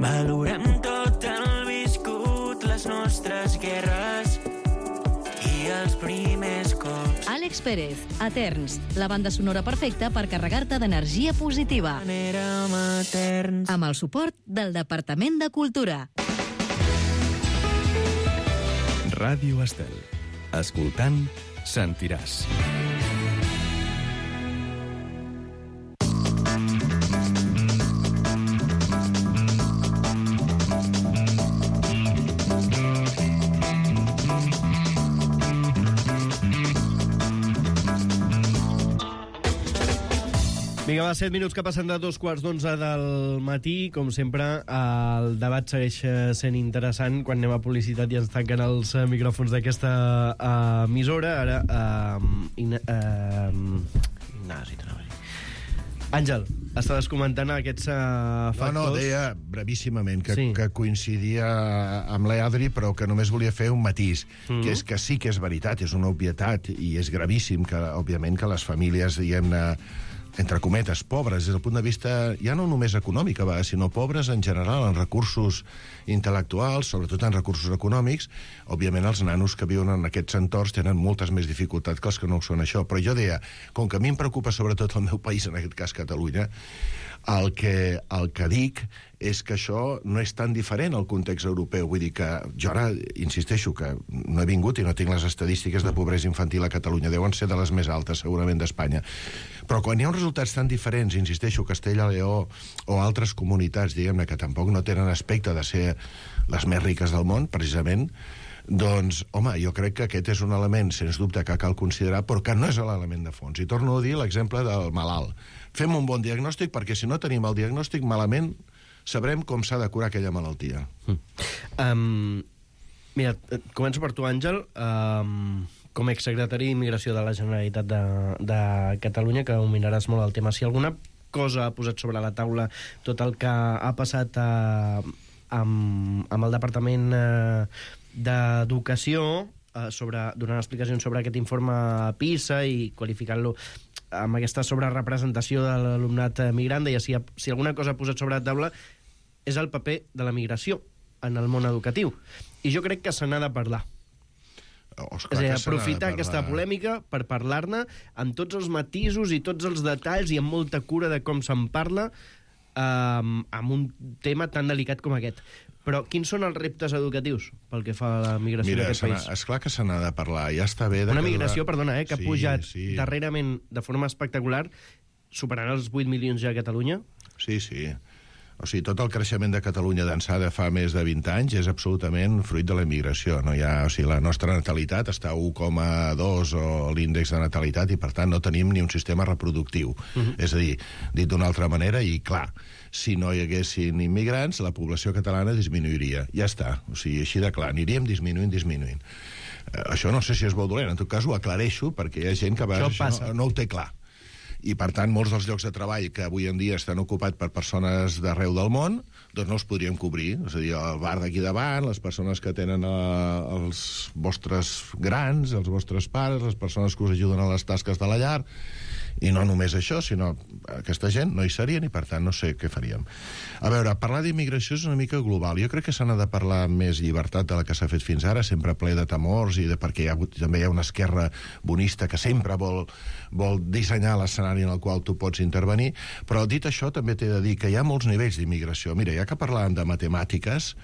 valorem tot el viscut, les nostres guerres i els primers cops. Àlex Pérez, Eterns, la banda sonora perfecta per carregar-te d'energia positiva. Érem eterns. Amb el suport del Departament de Cultura. Ràdio Estel. Escoltant, sentiràs. Vinga, va, 7 minuts que passen de 2:15 del matí. Com sempre, el debat segueix sent interessant. Quan anem a publicitat i ens tanquen els micròfons d'aquesta emissora. Ara, Àngel, estaves comentant aquests factors... No, deia brevíssimament que coincidia amb l'Adri, però que només volia fer un matís, que és que sí que és veritat, és una obvietat, i és gravíssim que, òbviament, que les famílies, diguem-ne, entre cometes, pobres, des del punt de vista ja no només econòmic, sinó pobres en general, en recursos intel·lectuals, sobretot en recursos econòmics. Òbviament, els nanos que viuen en aquests entorns tenen moltes més dificultats que els que no ho són això. Però jo deia, com que a mi em preocupa sobretot el meu país, en aquest cas Catalunya, el que dic és que això no és tan diferent al context europeu. Vull dir que jo ara insisteixo que no he vingut i no tinc les estadístiques de pobresa infantil a Catalunya. Deuen ser de les més altes, segurament, d'Espanya. Però quan hi ha uns resultats tan diferents, insisteixo, Castella i Lleó o altres comunitats, diguem-ne, que tampoc no tenen aspecte de ser les més riques del món, precisament, doncs, home, jo crec que aquest és un element, sens dubte, que cal considerar, però que no és l'element de fons. I torno a dir l'exemple del malalt. Fem un bon diagnòstic, perquè si no tenim el diagnòstic malament, sabrem com s'ha de curar aquella malaltia. Mira, començo per tu, Àngel. Com a exsecretari d'Immigració de la Generalitat de Catalunya, que dominaràs molt el tema, si alguna cosa ha posat sobre la taula tot el que ha passat amb el Departament d'Educació, donant explicacions sobre aquest informe PISA i qualificant-lo amb aquesta sobrerepresentació de l'alumnat migrant, deia, si alguna cosa ha posat sobre la taula és el paper de la migració en el món educatiu. I jo crec que se n'ha de parlar. És a dir, aprofitar aquesta polèmica per parlar-ne amb tots els matisos i tots els detalls i amb molta cura de com se'n parla, amb un tema tan delicat com aquest. Però quins són els reptes educatius pel que fa a la migració en aquest país? Esclar que se n'ha de parlar. Ja està bé... Una migració, perdona, que ha pujat darrerament de forma espectacular, superant els 8 milions ja a Catalunya. Sí. O sigui, tot el creixement de Catalunya d'ençà de fa més de 20 anys és absolutament fruit de la immigració. No hi ha, o sigui, la nostra natalitat està a 1,2 o l'índex de natalitat i, per tant, no tenim ni un sistema reproductiu. És a dir, dit d'una altra manera, i clar, si no hi haguessin immigrants, la població catalana disminuiria. Ja està. O sigui, així de clar, aniríem disminuint. Això no sé si és bo o dolent. En tot cas, ho aclareixo perquè hi ha gent que això no ho té clar. I, per tant, molts dels llocs de treball que avui en dia estan ocupats per persones d'arreu del món, doncs no els podríem cobrir. És a dir, el bar d'aquí davant, les persones que tenen els vostres grans, els vostres pares, les persones que us ajuden a les tasques de la llar, i no només això, sinó aquesta gent no hi serien i, per tant, no sé què faríem. A veure, parlar d'immigració és una mica global. Jo crec que se n'ha de parlar amb més llibertat de la que s'ha fet fins ara, sempre ple de temors, i perquè també hi ha una esquerra bonista que sempre vol dissenyar l'escenari en el qual tu pots intervenir, però dit això també t'he de dir que hi ha molts nivells d'immigració. Mira, ja que parlàvem de matemàtiques,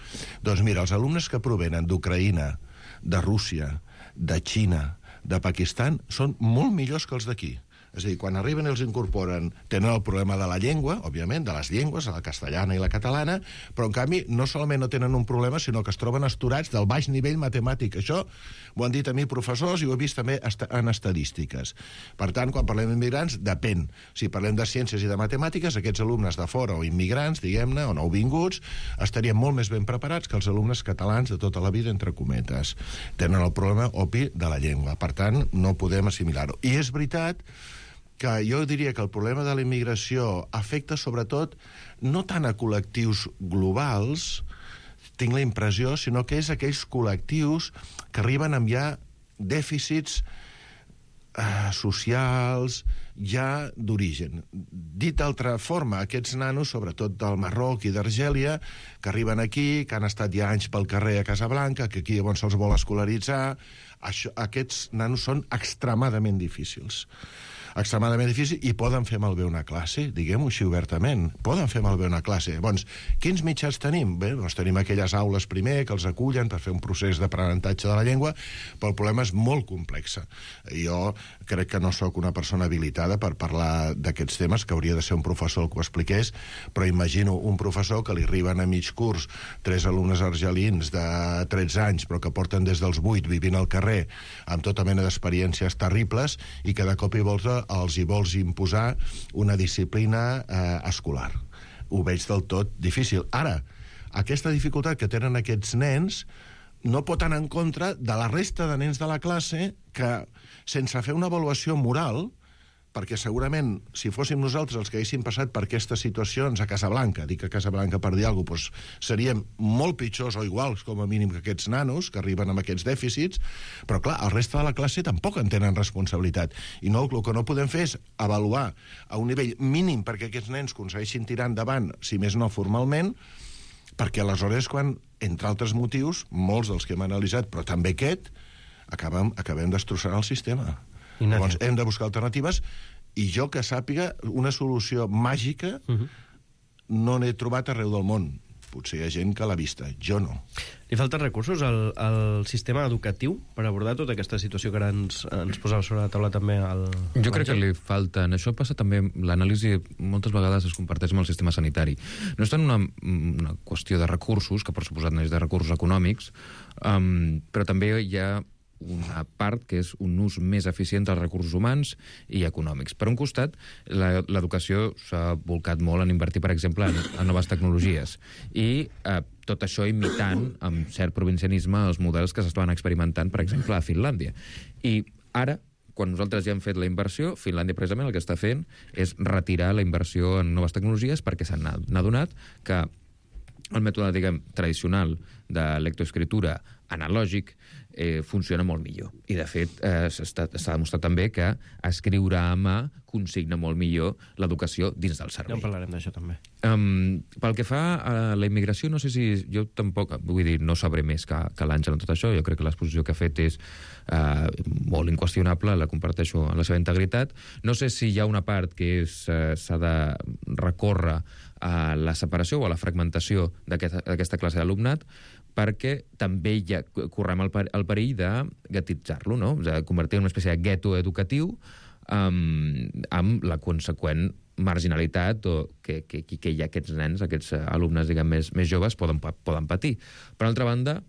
doncs mira, els alumnes que provenen d'Ucraïna, de Rússia, de Xina, de Pakistan, són molt millors que els d'aquí. És a dir, quan arriben i els incorporen, tenen el problema de la llengua, òbviament, de les llengües, la castellana i la catalana, però en canvi no solament no tenen un problema, sinó que es troben astorats del baix nivell matemàtic. Això ho han dit a mi professors i ho he vist també en estadístiques. Per tant, quan parlem d'immigrants, depèn. Si parlem de ciències i de matemàtiques, aquests alumnes de fora o immigrants, diguem-ne, o nouvinguts, estarien molt més ben preparats que els alumnes catalans de tota la vida, entre cometes. Tenen el problema obvi de la llengua. Per tant, no podem assimilar-ho. I és veritat que jo diria que el problema de la immigració afecta sobretot no tant a col·lectius globals, tinc la impressió, sinó que és aquells col·lectius que arriben amb ja dèficits socials ja d'origen. Dit d'altra forma, aquests nanos, sobretot del Marroc i d'Argèlia, que arriben aquí, que han estat ja anys pel carrer a Casablanca, que aquí llavors se'ls vol escolaritzar, aquests nanos són extremadament difícils i poden fer malbé una classe, diguem-ho així obertament, poden fer malbé una classe. Llavors, quins mitjans tenim? Bé, doncs tenim aquelles aules primer que els acullen per fer un procés d'aprenentatge de la llengua, però el problema és molt complex. Jo crec que no sóc una persona habilitada per parlar d'aquests temes, que hauria de ser un professor el que ho expliqués, però imagino un professor que li arriben a mig curs 3 alumnes argelins de 13 anys, però que porten des dels 8 vivint al carrer amb tota mena d'experiències terribles i que de cop i volta els hi vols imposar una disciplina escolar. Ho veig del tot difícil. Ara, aquesta dificultat que tenen aquests nens no pot anar en contra de la resta de nens de la classe que, sense fer una avaluació moral, perquè segurament, si fóssim nosaltres els que haguéssim passat per aquestes situacions a Casablanca, dic a Casablanca per dir alguna cosa, doncs seríem molt pitjors o iguals, com a mínim, que aquests nanos que arriben amb aquests dèficits, però clar, el reste de la classe tampoc en tenen responsabilitat. I no, el que no podem fer és avaluar a un nivell mínim perquè aquests nens aconsegueixin tirar endavant, si més no formalment, perquè aleshores quan, entre altres motius, molts dels que hem analitzat, però també aquest, acabem destrossant el sistema. Llavors hem de buscar alternatives i jo que sàpiga una solució màgica no n'he trobat arreu del món. Potser hi ha gent que l'ha vista, jo no. Li falten recursos al sistema educatiu per abordar tota aquesta situació que ara ens posava sobre la taula també Jo crec que li falten. Això passa també, l'anàlisi moltes vegades es comparteix amb el sistema sanitari. No és tant una qüestió de recursos, que per suposat no és de recursos econòmics, però també hi ha una part que és un ús més eficient dels recursos humans i econòmics. Per un costat, l'educació s'ha volcat molt en invertir, per exemple, en noves tecnologies i tot això imitant, amb cert provincianisme, els models que s'estaven experimentant, per exemple, a Finlàndia. I ara, quan nosaltres ja hem fet la inversió, Finlàndia precisament el que està fent és retirar la inversió en noves tecnologies perquè s'han adonat que el mètode, diguem, tradicional de lectoescriptura analògic funciona molt millor. I, de fet, s'ha demostrat també que escriure a mà consigna molt millor l'educació dins del servei. Ja en parlarem d'això, també. Pel que fa a la immigració, no sé si... Jo tampoc... Vull dir, no sabré més que l'Àngel en tot això. Jo crec que l'exposició que ha fet és molt inqüestionable, la comparteixo en la seva integritat. No sé si hi ha una part que s'ha de recórrer a la separació o a la fragmentació d'aquesta classe d'alumnat, perquè també correm el perill de ghettitzar-lo, no? De convertir en una espècie de gueto educatiu amb la conseqüent marginalitat que hi ha aquests nens, aquests alumnes, diguem, més joves poden patir. Per altra banda,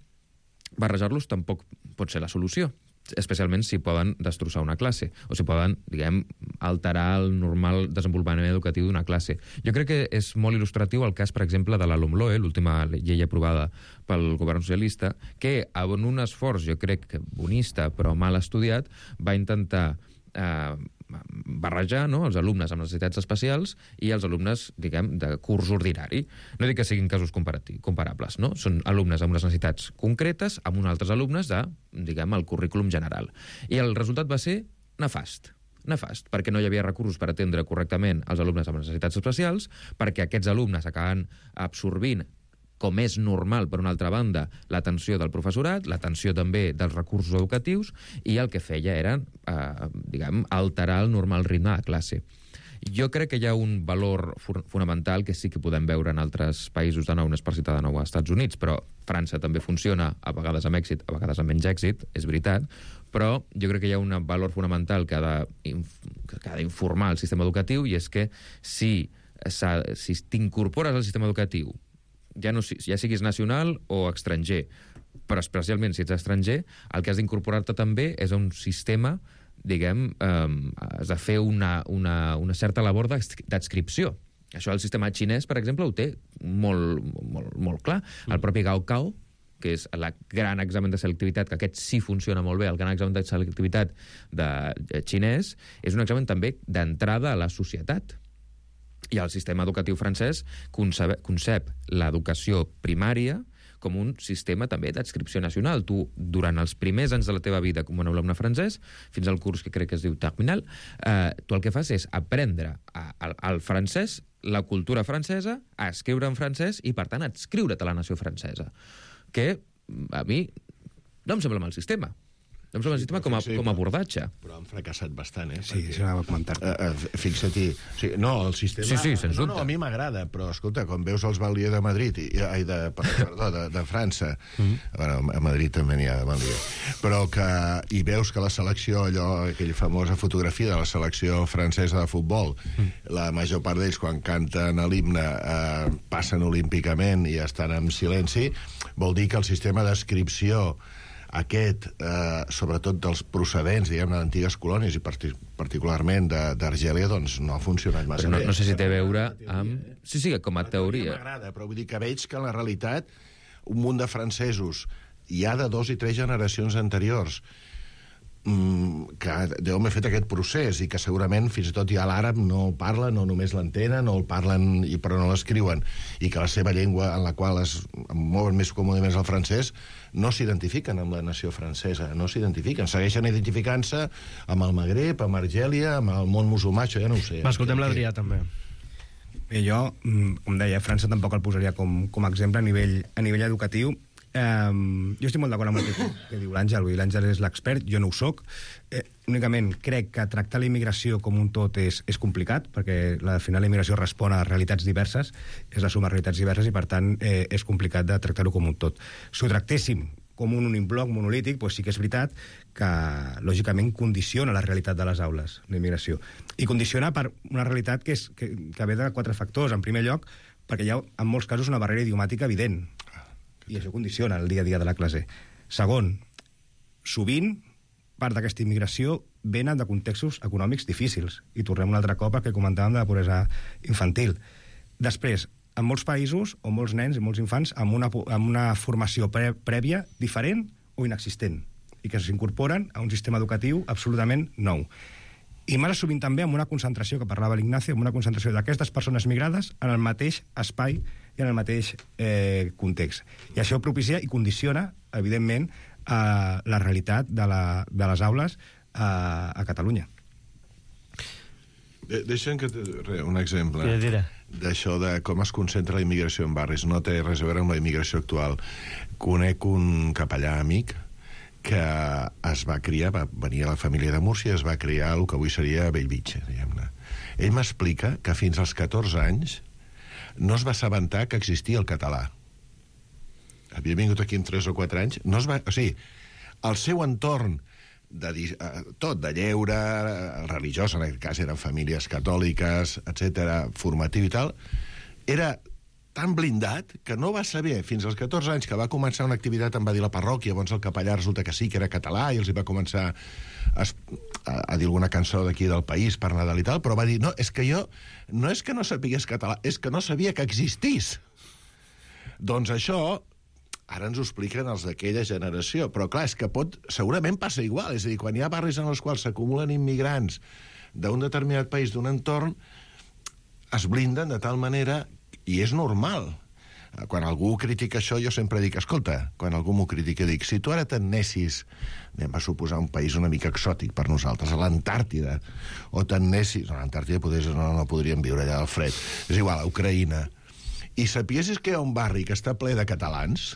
barrejar-los tampoc pot ser la solució, especialment si poden destrossar una classe o si poden, diguem, alterar el normal desenvolupament educatiu d'una classe. Jo crec que és molt il·lustratiu el cas, per exemple, de la LOMLOE, l'última llei aprovada pel govern socialista, que en un esforç, jo crec, bonista però mal estudiat, va intentar barrejar, no?, els alumnes amb necessitats especials i els alumnes, diguem, de curs ordinari. No dic que siguin casos comparables, no? Són alumnes amb unes necessitats concretes amb uns altres alumnes de, diguem, el currículum general. I el resultat va ser nefast, perquè no hi havia recursos per atendre correctament els alumnes amb necessitats especials, perquè aquests alumnes acaben absorbint, com és normal, per una altra banda, l'atenció del professorat, l'atenció també dels recursos educatius, i el que feia era, diguem, alterar el normal ritme de classe. Jo crec que hi ha un valor fonamental que sí que podem veure en altres països, de nou, no és per citar de nou als Estats Units, però França també funciona, a vegades amb èxit, a vegades amb menys èxit, és veritat, però jo crec que hi ha un valor fonamental que ha d'informar el sistema educatiu, i és que si t'incorpores al sistema educatiu, ja siguis nacional o estranger, però especialment si ets estranger, el que has d'incorporar-te també és un sistema, diguem, has de fer una certa labor d'adscripció. Això el sistema xinès, per exemple, ho té molt clar. El propi Gaokao, que és el gran examen de selectivitat, que aquest sí funciona molt bé, el gran examen de selectivitat xinès, és un examen també d'entrada a la societat. I el sistema educatiu francès concep l'educació primària com un sistema també d'adscripció nacional. Tu, durant els primers anys de la teva vida com un alumne francès, fins al curs que crec que es diu terminal, tu el que fas és aprendre el francès, la cultura francesa, a escriure en francès i, per tant, adscriure't a la nació francesa. Que a mi no em sembla mal sistema. No em sembla un sistema com a abordatge. Però han fracassat bastant, Sí, això anava a comentar. Fixa-t'hi. No, el sistema... Sí, sens dubte. No, a mi m'agrada, però, escolta, quan veus els Banlieue de Madrid, de França, bueno, a Madrid també n'hi ha de Banlieue, però que hi veus que la selecció, aquella famosa fotografia de la selecció francesa de futbol, la major part d'ells, quan canten l'himne, passen olímpicament i estan en silenci, vol dir que el sistema d'adscripció aquest, sobretot dels procedents, diguem, d'antigues colònies i particularment d'Argèlia, doncs no ha funcionat massa bé. No sé si té a veure amb... Sí, com a teoria. M'agrada, però vull dir que veig que en la realitat un munt de francesos ja de 2 i 3 generacions anteriors que deuen haver fet aquest procés i que segurament fins i tot ja l'àrab no parlen o només l'entenen o el parlen però no l'escriuen, i que la seva llengua en la qual es mouen més còmodament el francès no s'identifiquen amb la nació francesa, no s'identifiquen, segueixen identificant-se amb el Magreb, amb Argèlia, amb el món musulmà, això ja no ho sé. Escoltem l'Adrià, també. Bé, jo, com deia, França tampoc el posaria com a exemple a nivell educatiu. Jo estic molt d'acord amb el que diu l'Àngel. L'Àngel és l'expert, jo no ho soc. Únicament crec que tractar la immigració com un tot és complicat, perquè al final la immigració respon a realitats diverses, és la suma de realitats diverses, i per tant és complicat de tractar-ho com un tot. Si ho tractéssim com un únic bloc monolític, doncs sí que és veritat que lògicament condiciona la realitat de les aules, la immigració. I condiciona per una realitat que ve de 4 factors. En primer lloc, perquè hi ha en molts casos una barrera idiomàtica evident, i això condiciona el dia a dia de la classe. Segon, sovint part d'aquesta immigració venen de contextos econòmics difícils, i tornem un altre cop al que comentàvem de la pobresa infantil. Després, en molts països, o molts nens i molts infants amb una formació prèvia diferent o inexistent, i que s'incorporen a un sistema educatiu absolutament nou. I massa sovint també amb una concentració, que parlava l'Ignacio, amb una concentració d'aquestes persones migrades en el mateix espai i en el mateix context. I això propicia i condiciona, evidentment, la realitat de les aules a Catalunya. Deixa'm que un exemple d'això de com es concentra la immigració en barris. No té res a veure amb la immigració actual. Conec un capellà amic que es va criar, va venir a la família de Múrcia, es va criar el que avui seria Bellvitge, diguem-ne. Ell m'explica que fins als 14 anys no es va assabentar que existia el català. Havia vingut aquí en 3 o 4 anys, no es va... O sigui, el seu entorn tot, de lleure, religiós, en aquest cas eren famílies catòliques, etc, formatiu i tal, era tan blindat que no va saber, fins als 14 anys que va començar una activitat, em va dir la parròquia, llavors el capellà resulta que sí, que era català, i els hi va començar a dir alguna cançó d'aquí del país per Nadal i tal, però va dir, no, és que jo no és que no sapigués català, és que no sabia que existís. Doncs això ara ens ho expliquen els d'aquella generació, però clar, és que segurament passa igual, és a dir, quan hi ha barris en els quals s'acumulen immigrants d'un determinat país, d'un entorn, es blinden de tal manera, i és normal. Quan algú critica això, jo sempre dic, escolta, quan algú m'ho critica, dic, si tu ara t'anessis, anem a suposar un país una mica exòtic per nosaltres, a l'Antàrtida, o t'anessis, a l'Antàrtida no podríem viure allà al fred, és igual, a Ucraïna, i sapiessis que hi ha un barri que està ple de catalans,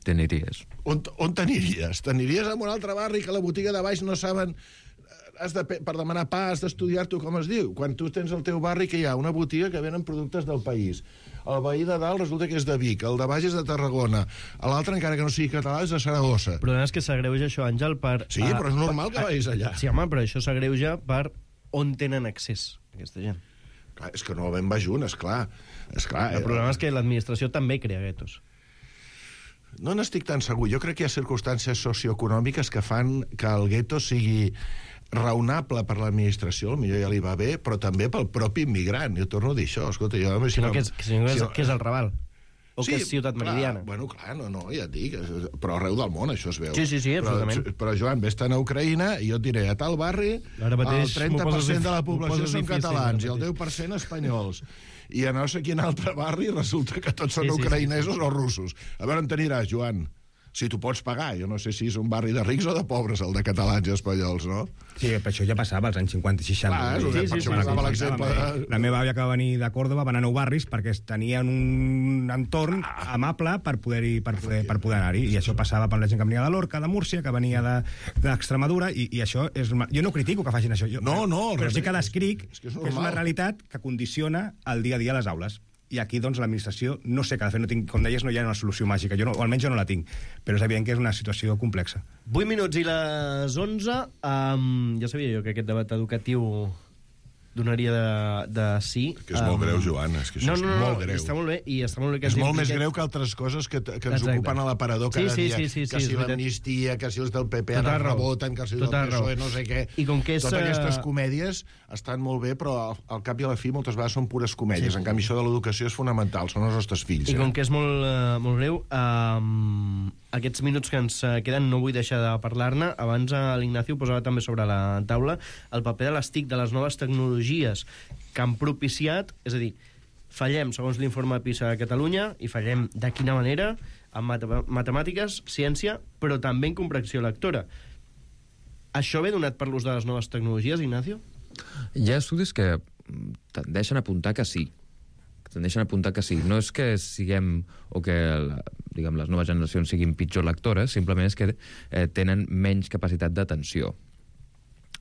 t'aniries. On t'aniries? T'aniries a un altre barri que la botiga de baix no saben... per demanar pa has d'estudiar-t'ho com es diu. Quan tu tens al teu barri que hi ha una botiga que venen productes del país. El veí de dalt resulta que és de Vic, el de baix és de Tarragona, l'altre, encara que no sigui català, és de Saragossa. Però és que s'agreuja això, Àngel, per... Sí, però és normal que vagis allà. Sí, home, però això s'agreuja per on tenen accés aquesta gent. Clar, és que no ben va junt, esclar. El problema és que l'administració també crea guetos. No n'estic tan segur. Jo crec que hi ha circumstàncies socioeconòmiques que fan que el gueto sigui raonable per l'administració, potser ja li va bé, però també pel propi immigrant. Jo torno a dir això. Escolta, jo... Què és el Raval? O que és Ciutat Meridiana? Bueno, clar, no, ja et dic. Però arreu del món això es veu. Sí, absolutament. Però Joan, vés-te'n a Ucraïna i jo et diré, a tal barri el 30% de la població són catalans i el 10% espanyols. I a no sé quin altre barri resulta que tots són ucraïnesos o russos. A veure on t'aniràs, Joan? Si tu pots pagar. Jo no sé si és un barri de rics o de pobres, el de catalans i espanyols, no? Sí, per això ja passava als anys 50 i 60. Clar, per això passava l'exemple. La meva àvia que va venir de Còrdoba va anar a 9 barris perquè tenien un entorn amable per poder anar-hi. I això passava per la gent que venia de Lorca, de Múrcia, que venia d'Extremadura, i això és... Jo no critico que facin això. Però sí que descric que és una realitat que condiciona el dia a dia a les aules. I aquí, doncs, l'administració, no sé què ha de fer, no tinc, com deies, no hi ha una solució màgica, o almenys jo no la tinc, però és evident que és una situació complexa. 8 minuts i les 11. Ja sabia jo que aquest debat educatiu donaria de sí. Que és molt greu, Joan, és que això és molt greu. Està molt bé, i està molt bé que és molt més greu que altres coses que ens ocupen a l'aparador cada dia. Que si l'amnistia, que si els del PP ara reboten, que si els del PSOE no sé què. Totes aquestes comèdies estan molt bé, però al cap i a la fi moltes vegades són pures comèdies. En canvi, això de l'educació és fonamental, són els nostres fills. I com que és molt greu, aquests minuts que ens queden no vull deixar de parlar-ne. Abans l'Ignacio posava també sobre la taula el paper de les TIC, de les noves tecnologies que han propiciat, és a dir, fallem segons l'informe PISA a Catalunya i fallem de quina manera en matemàtiques, ciència, però també en comprensió lectora. Això ve donat per l'ús de les noves tecnologies, Ignacio? Hi ha estudis que tendeixen a apuntar que sí. No és que siguem o que les noves generacions siguin pitjor lectores, simplement és que tenen menys capacitat d'atenció.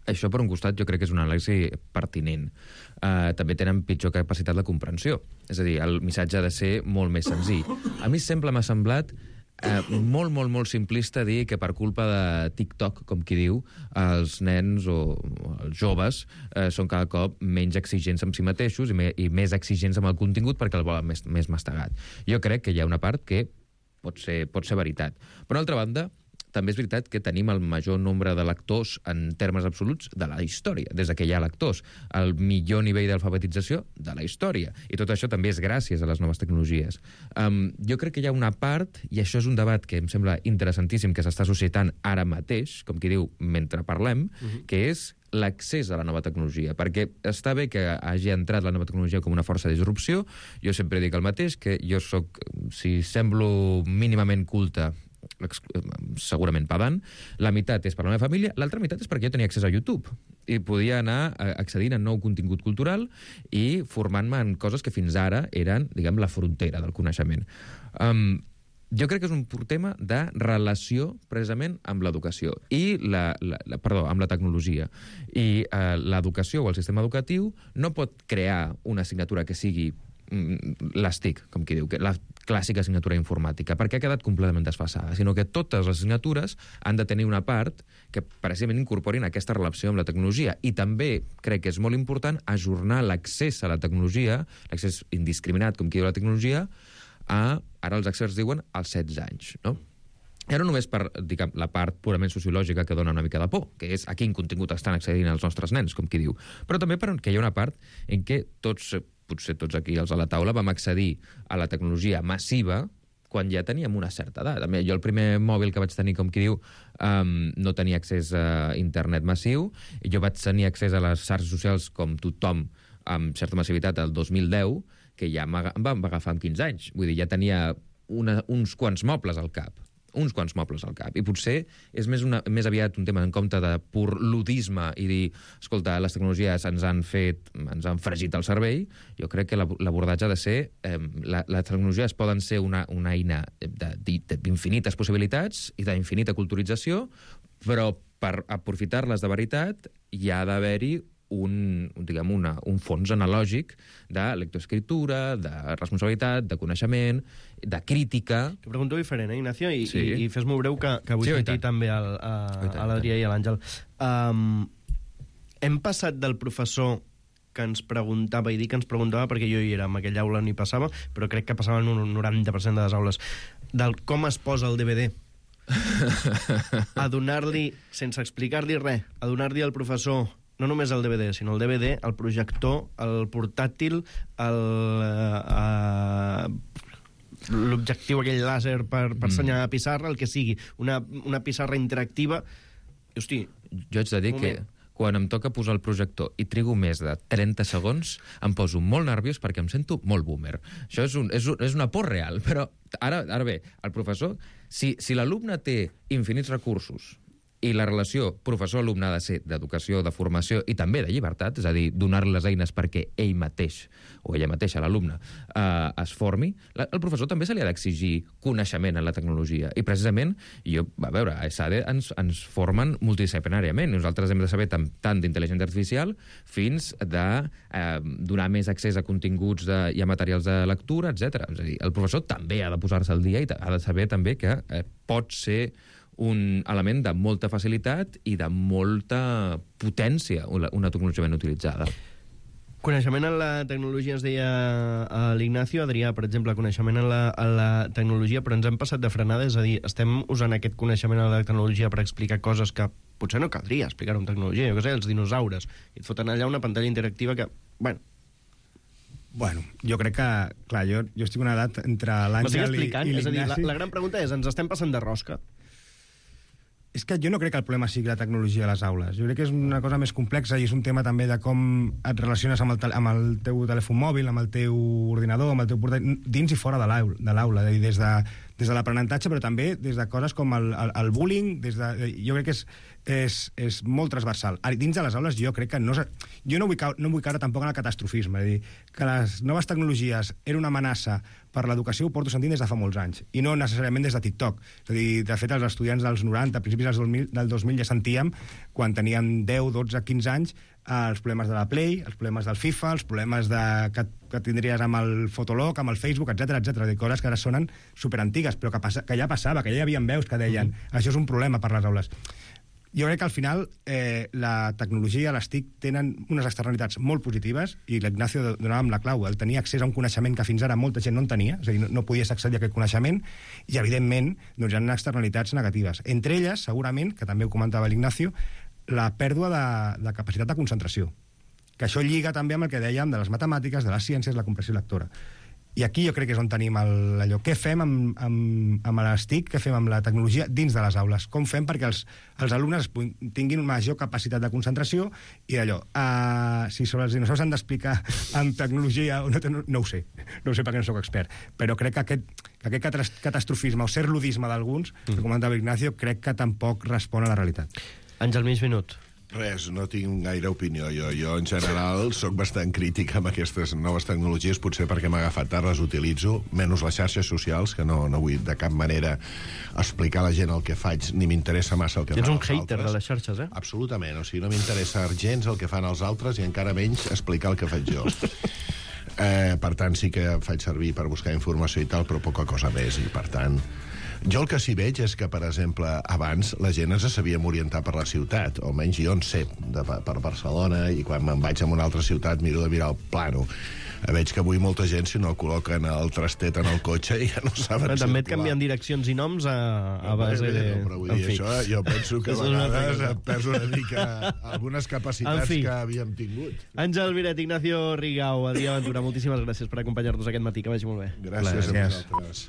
Això, per un costat, jo crec que és una anàlisi pertinent. També tenen pitjor capacitat de comprensió. És a dir, el missatge ha de ser molt més senzill. A mi sempre m'ha semblat molt simplista dir que per culpa de TikTok, com qui diu, els nens o els joves són cada cop menys exigents amb si mateixos i més exigents amb el contingut perquè el volen més mastegat. Jo crec que hi ha una part que pot ser veritat. Per una altra banda, també és veritat que tenim el major nombre de lectors en termes absoluts de la història, des que hi ha lectors, el millor nivell d'alfabetització de la història. I tot això també és gràcies a les noves tecnologies. Jo crec que hi ha una part, i això és un debat que em sembla interessantíssim que s'està suscitant ara mateix, com qui diu, mentre parlem, que és l'accés a la nova tecnologia, perquè està bé que hagi entrat la nova tecnologia com una força de disrupció. Jo sempre dic el mateix, que jo soc, si semblo mínimament culte, segurament pagant, la meitat és per la meva família, l'altra meitat és perquè jo tenia accés a YouTube i podia anar accedint a nou contingut cultural i formant-me en coses que fins ara eren, diguem, la frontera del coneixement. Jo crec que és un pur tema de relació precisament amb l'educació i amb la tecnologia. I l'educació o el sistema educatiu no pot crear una assignatura que sigui les TIC, com qui diu, la clàssica assignatura informàtica, perquè ha quedat completament desfasada, sinó que totes les assignatures han de tenir una part que precisament incorporin aquesta relació amb la tecnologia. I també crec que és molt important ajornar l'accés a la tecnologia, l'accés indiscriminat, com qui diu la tecnologia, ara els experts diuen als 16 anys, no? I no només per, diguem, la part purament sociològica que dona una mica de por, que és a quin contingut estan accedint els nostres nens, com qui diu, però també perquè hi ha una part en què potser tots aquí els a la taula vam accedir a la tecnologia massiva quan ja teníem una certa edat. Jo el primer mòbil que vaig tenir, com qui diu, no tenia accés a internet massiu, i jo vaig tenir accés a les xarxes socials com tothom amb certa massivitat el 2010, que ja em va agafar amb 15 anys. Vull dir, ja tenia uns quants mobles al cap. I potser és més aviat un tema en compte de pur ludisme i dir, escolta, les tecnologies ens han fregit el cervell. Jo crec que l'abordatge ha de ser les tecnologies poden ser una eina d'infinites possibilitats i d'infinita culturització, però per aprofitar-les de veritat hi ha d'haver-hi un fons analògic de lectoescriptura, de responsabilitat, de coneixement, de crítica. T'ho pregunto diferent, Ignacio? I fes-m'ho breu, que vull sentir també a l'Adrià i a l'Àngel. Hem passat del professor que ens preguntava, i dic que ens preguntava perquè jo hi era, en aquella aula ni passava, però crec que passava en un 90% de les aules, del com es posa el DVD, a donar-li, sense explicar-li res, a donar-li al professor no només el DVD, sinó el DVD, el projector, el portàtil, l'objectiu aquell làser per assenyalar la pissarra, el que sigui, una pissarra interactiva. Hosti, jo haig de dir que quan em toca posar el projector i trigo més de 30 segons, em poso molt nerviós perquè em sento molt boomer. Això és una por real, però ara bé, el professor, si l'alumne té infinits recursos i la relació professor-alumne ha de ser d'educació, de formació i també de llibertat, és a dir, donar-li les eines perquè ell mateix, o ella mateixa, l'alumne, es formi, al professor també se li ha d'exigir coneixement en la tecnologia. I precisament, a veure, a ESADE ens formen multidisciplinàriament. Nosaltres hem de saber tant d'intel·ligència artificial fins de donar més accés a continguts i a materials de lectura, etc. És a dir, el professor també ha de posar-se al dia i ha de saber també que pot ser un element de molta facilitat i de molta potència, una tecnologia ben utilitzada. Coneixement en la tecnologia, es deia a l'Ignacio, Adrià, per exemple, coneixement en la tecnologia, però ens hem passat de frenada, és a dir, estem usant aquest coneixement en la tecnologia per explicar coses que potser no caldria explicar en tecnologia, jo què sé, els dinosaures, i et foten allà una pantalla interactiva que, Bueno, jo crec que, clar, jo estic en una edat entre l'Àngel i l'Ignasi. És a dir, la gran pregunta és, ens estem passant de rosca? És que jo no crec que el problema sigui la tecnologia a les aules. Jo crec que és una cosa més complexa i és un tema també de com et relaciones amb el teu telèfon mòbil, amb el teu ordinador, amb el teu portàtil, dins i fora de l'aula, des de l'aprenentatge, però també des de coses com el bullying, jo crec que és molt transversal. Dins de les aules jo crec que jo no vull caure tampoc en el catastrofisme, és a dir, que les noves tecnologies eren una amenaça per l'educació ho porto sentint des de fa molts anys, i no necessàriament des de TikTok. És a dir, de fet, els estudiants dels 90, principis del 2000, ja sentíem, quan teníem 10, 12, 15 anys, els problemes de la Play, els problemes del FIFA, els problemes que tindries amb el Fotolog, amb el Facebook, etc, coses que ara sonen superantigues, però que ja passava, que ja hi havia veus que deien això és un problema per les aules. Jo crec que al final la tecnologia, les TIC, tenen unes externalitats molt positives i l'Ignacio donava amb la clau, el tenir accés a un coneixement que fins ara molta gent no en tenia, és a dir, no podies accedir a aquest coneixement i, evidentment, hi ha externalitats negatives. Entre elles, segurament, que també ho comentava l'Ignacio, la pèrdua de capacitat de concentració, que això lliga també amb el que dèiem de les matemàtiques, de les ciències, la comprensió lectora. I aquí jo crec que és on tenim allò. Què fem amb les TIC, què fem amb la tecnologia dins de les aules? Com fem perquè els alumnes tinguin major capacitat de concentració i allò, si sobre els dinosaures han d'explicar amb tecnologia, no ho sé perquè no sóc expert, però crec que aquest catastrofisme o ser ludisme d'alguns, que comentava Ignacio, crec que tampoc respon a la realitat. Àngel, mig minut. Res, no tinc gaire opinió. Jo en general, sóc bastant crític amb aquestes noves tecnologies, potser perquè m'ha agafat tard, les utilitzo, menys les xarxes socials, que no vull de cap manera explicar a la gent el que faig, ni m'interessa massa el que fan els altres. Tens un hater de les xarxes, eh? Absolutament, no m'interessa gens el que fan els altres i encara menys explicar el que faig jo. Per tant, sí que faig servir per buscar informació i tal, però poca cosa més, i per tant... Jo el que sí veig és que, per exemple, abans la gent ens sabíem orientar per la ciutat, o almenys jo en sé, per Barcelona, i quan me'n vaig a una altra ciutat miro de mirar el plano. Veig que avui molta gent, si no col·loquen el trastet en el cotxe, ja no saben circular. També et canvien direccions i noms a base de... Però vull dir, això jo penso que a vegades et perds una mica algunes capacitats que havíem tingut. Àngel Miret, Ignacio Rigau, Adrià Ventura, moltíssimes gràcies per acompanyar-nos aquest matí, que vagi molt bé. Gràcies a vosaltres.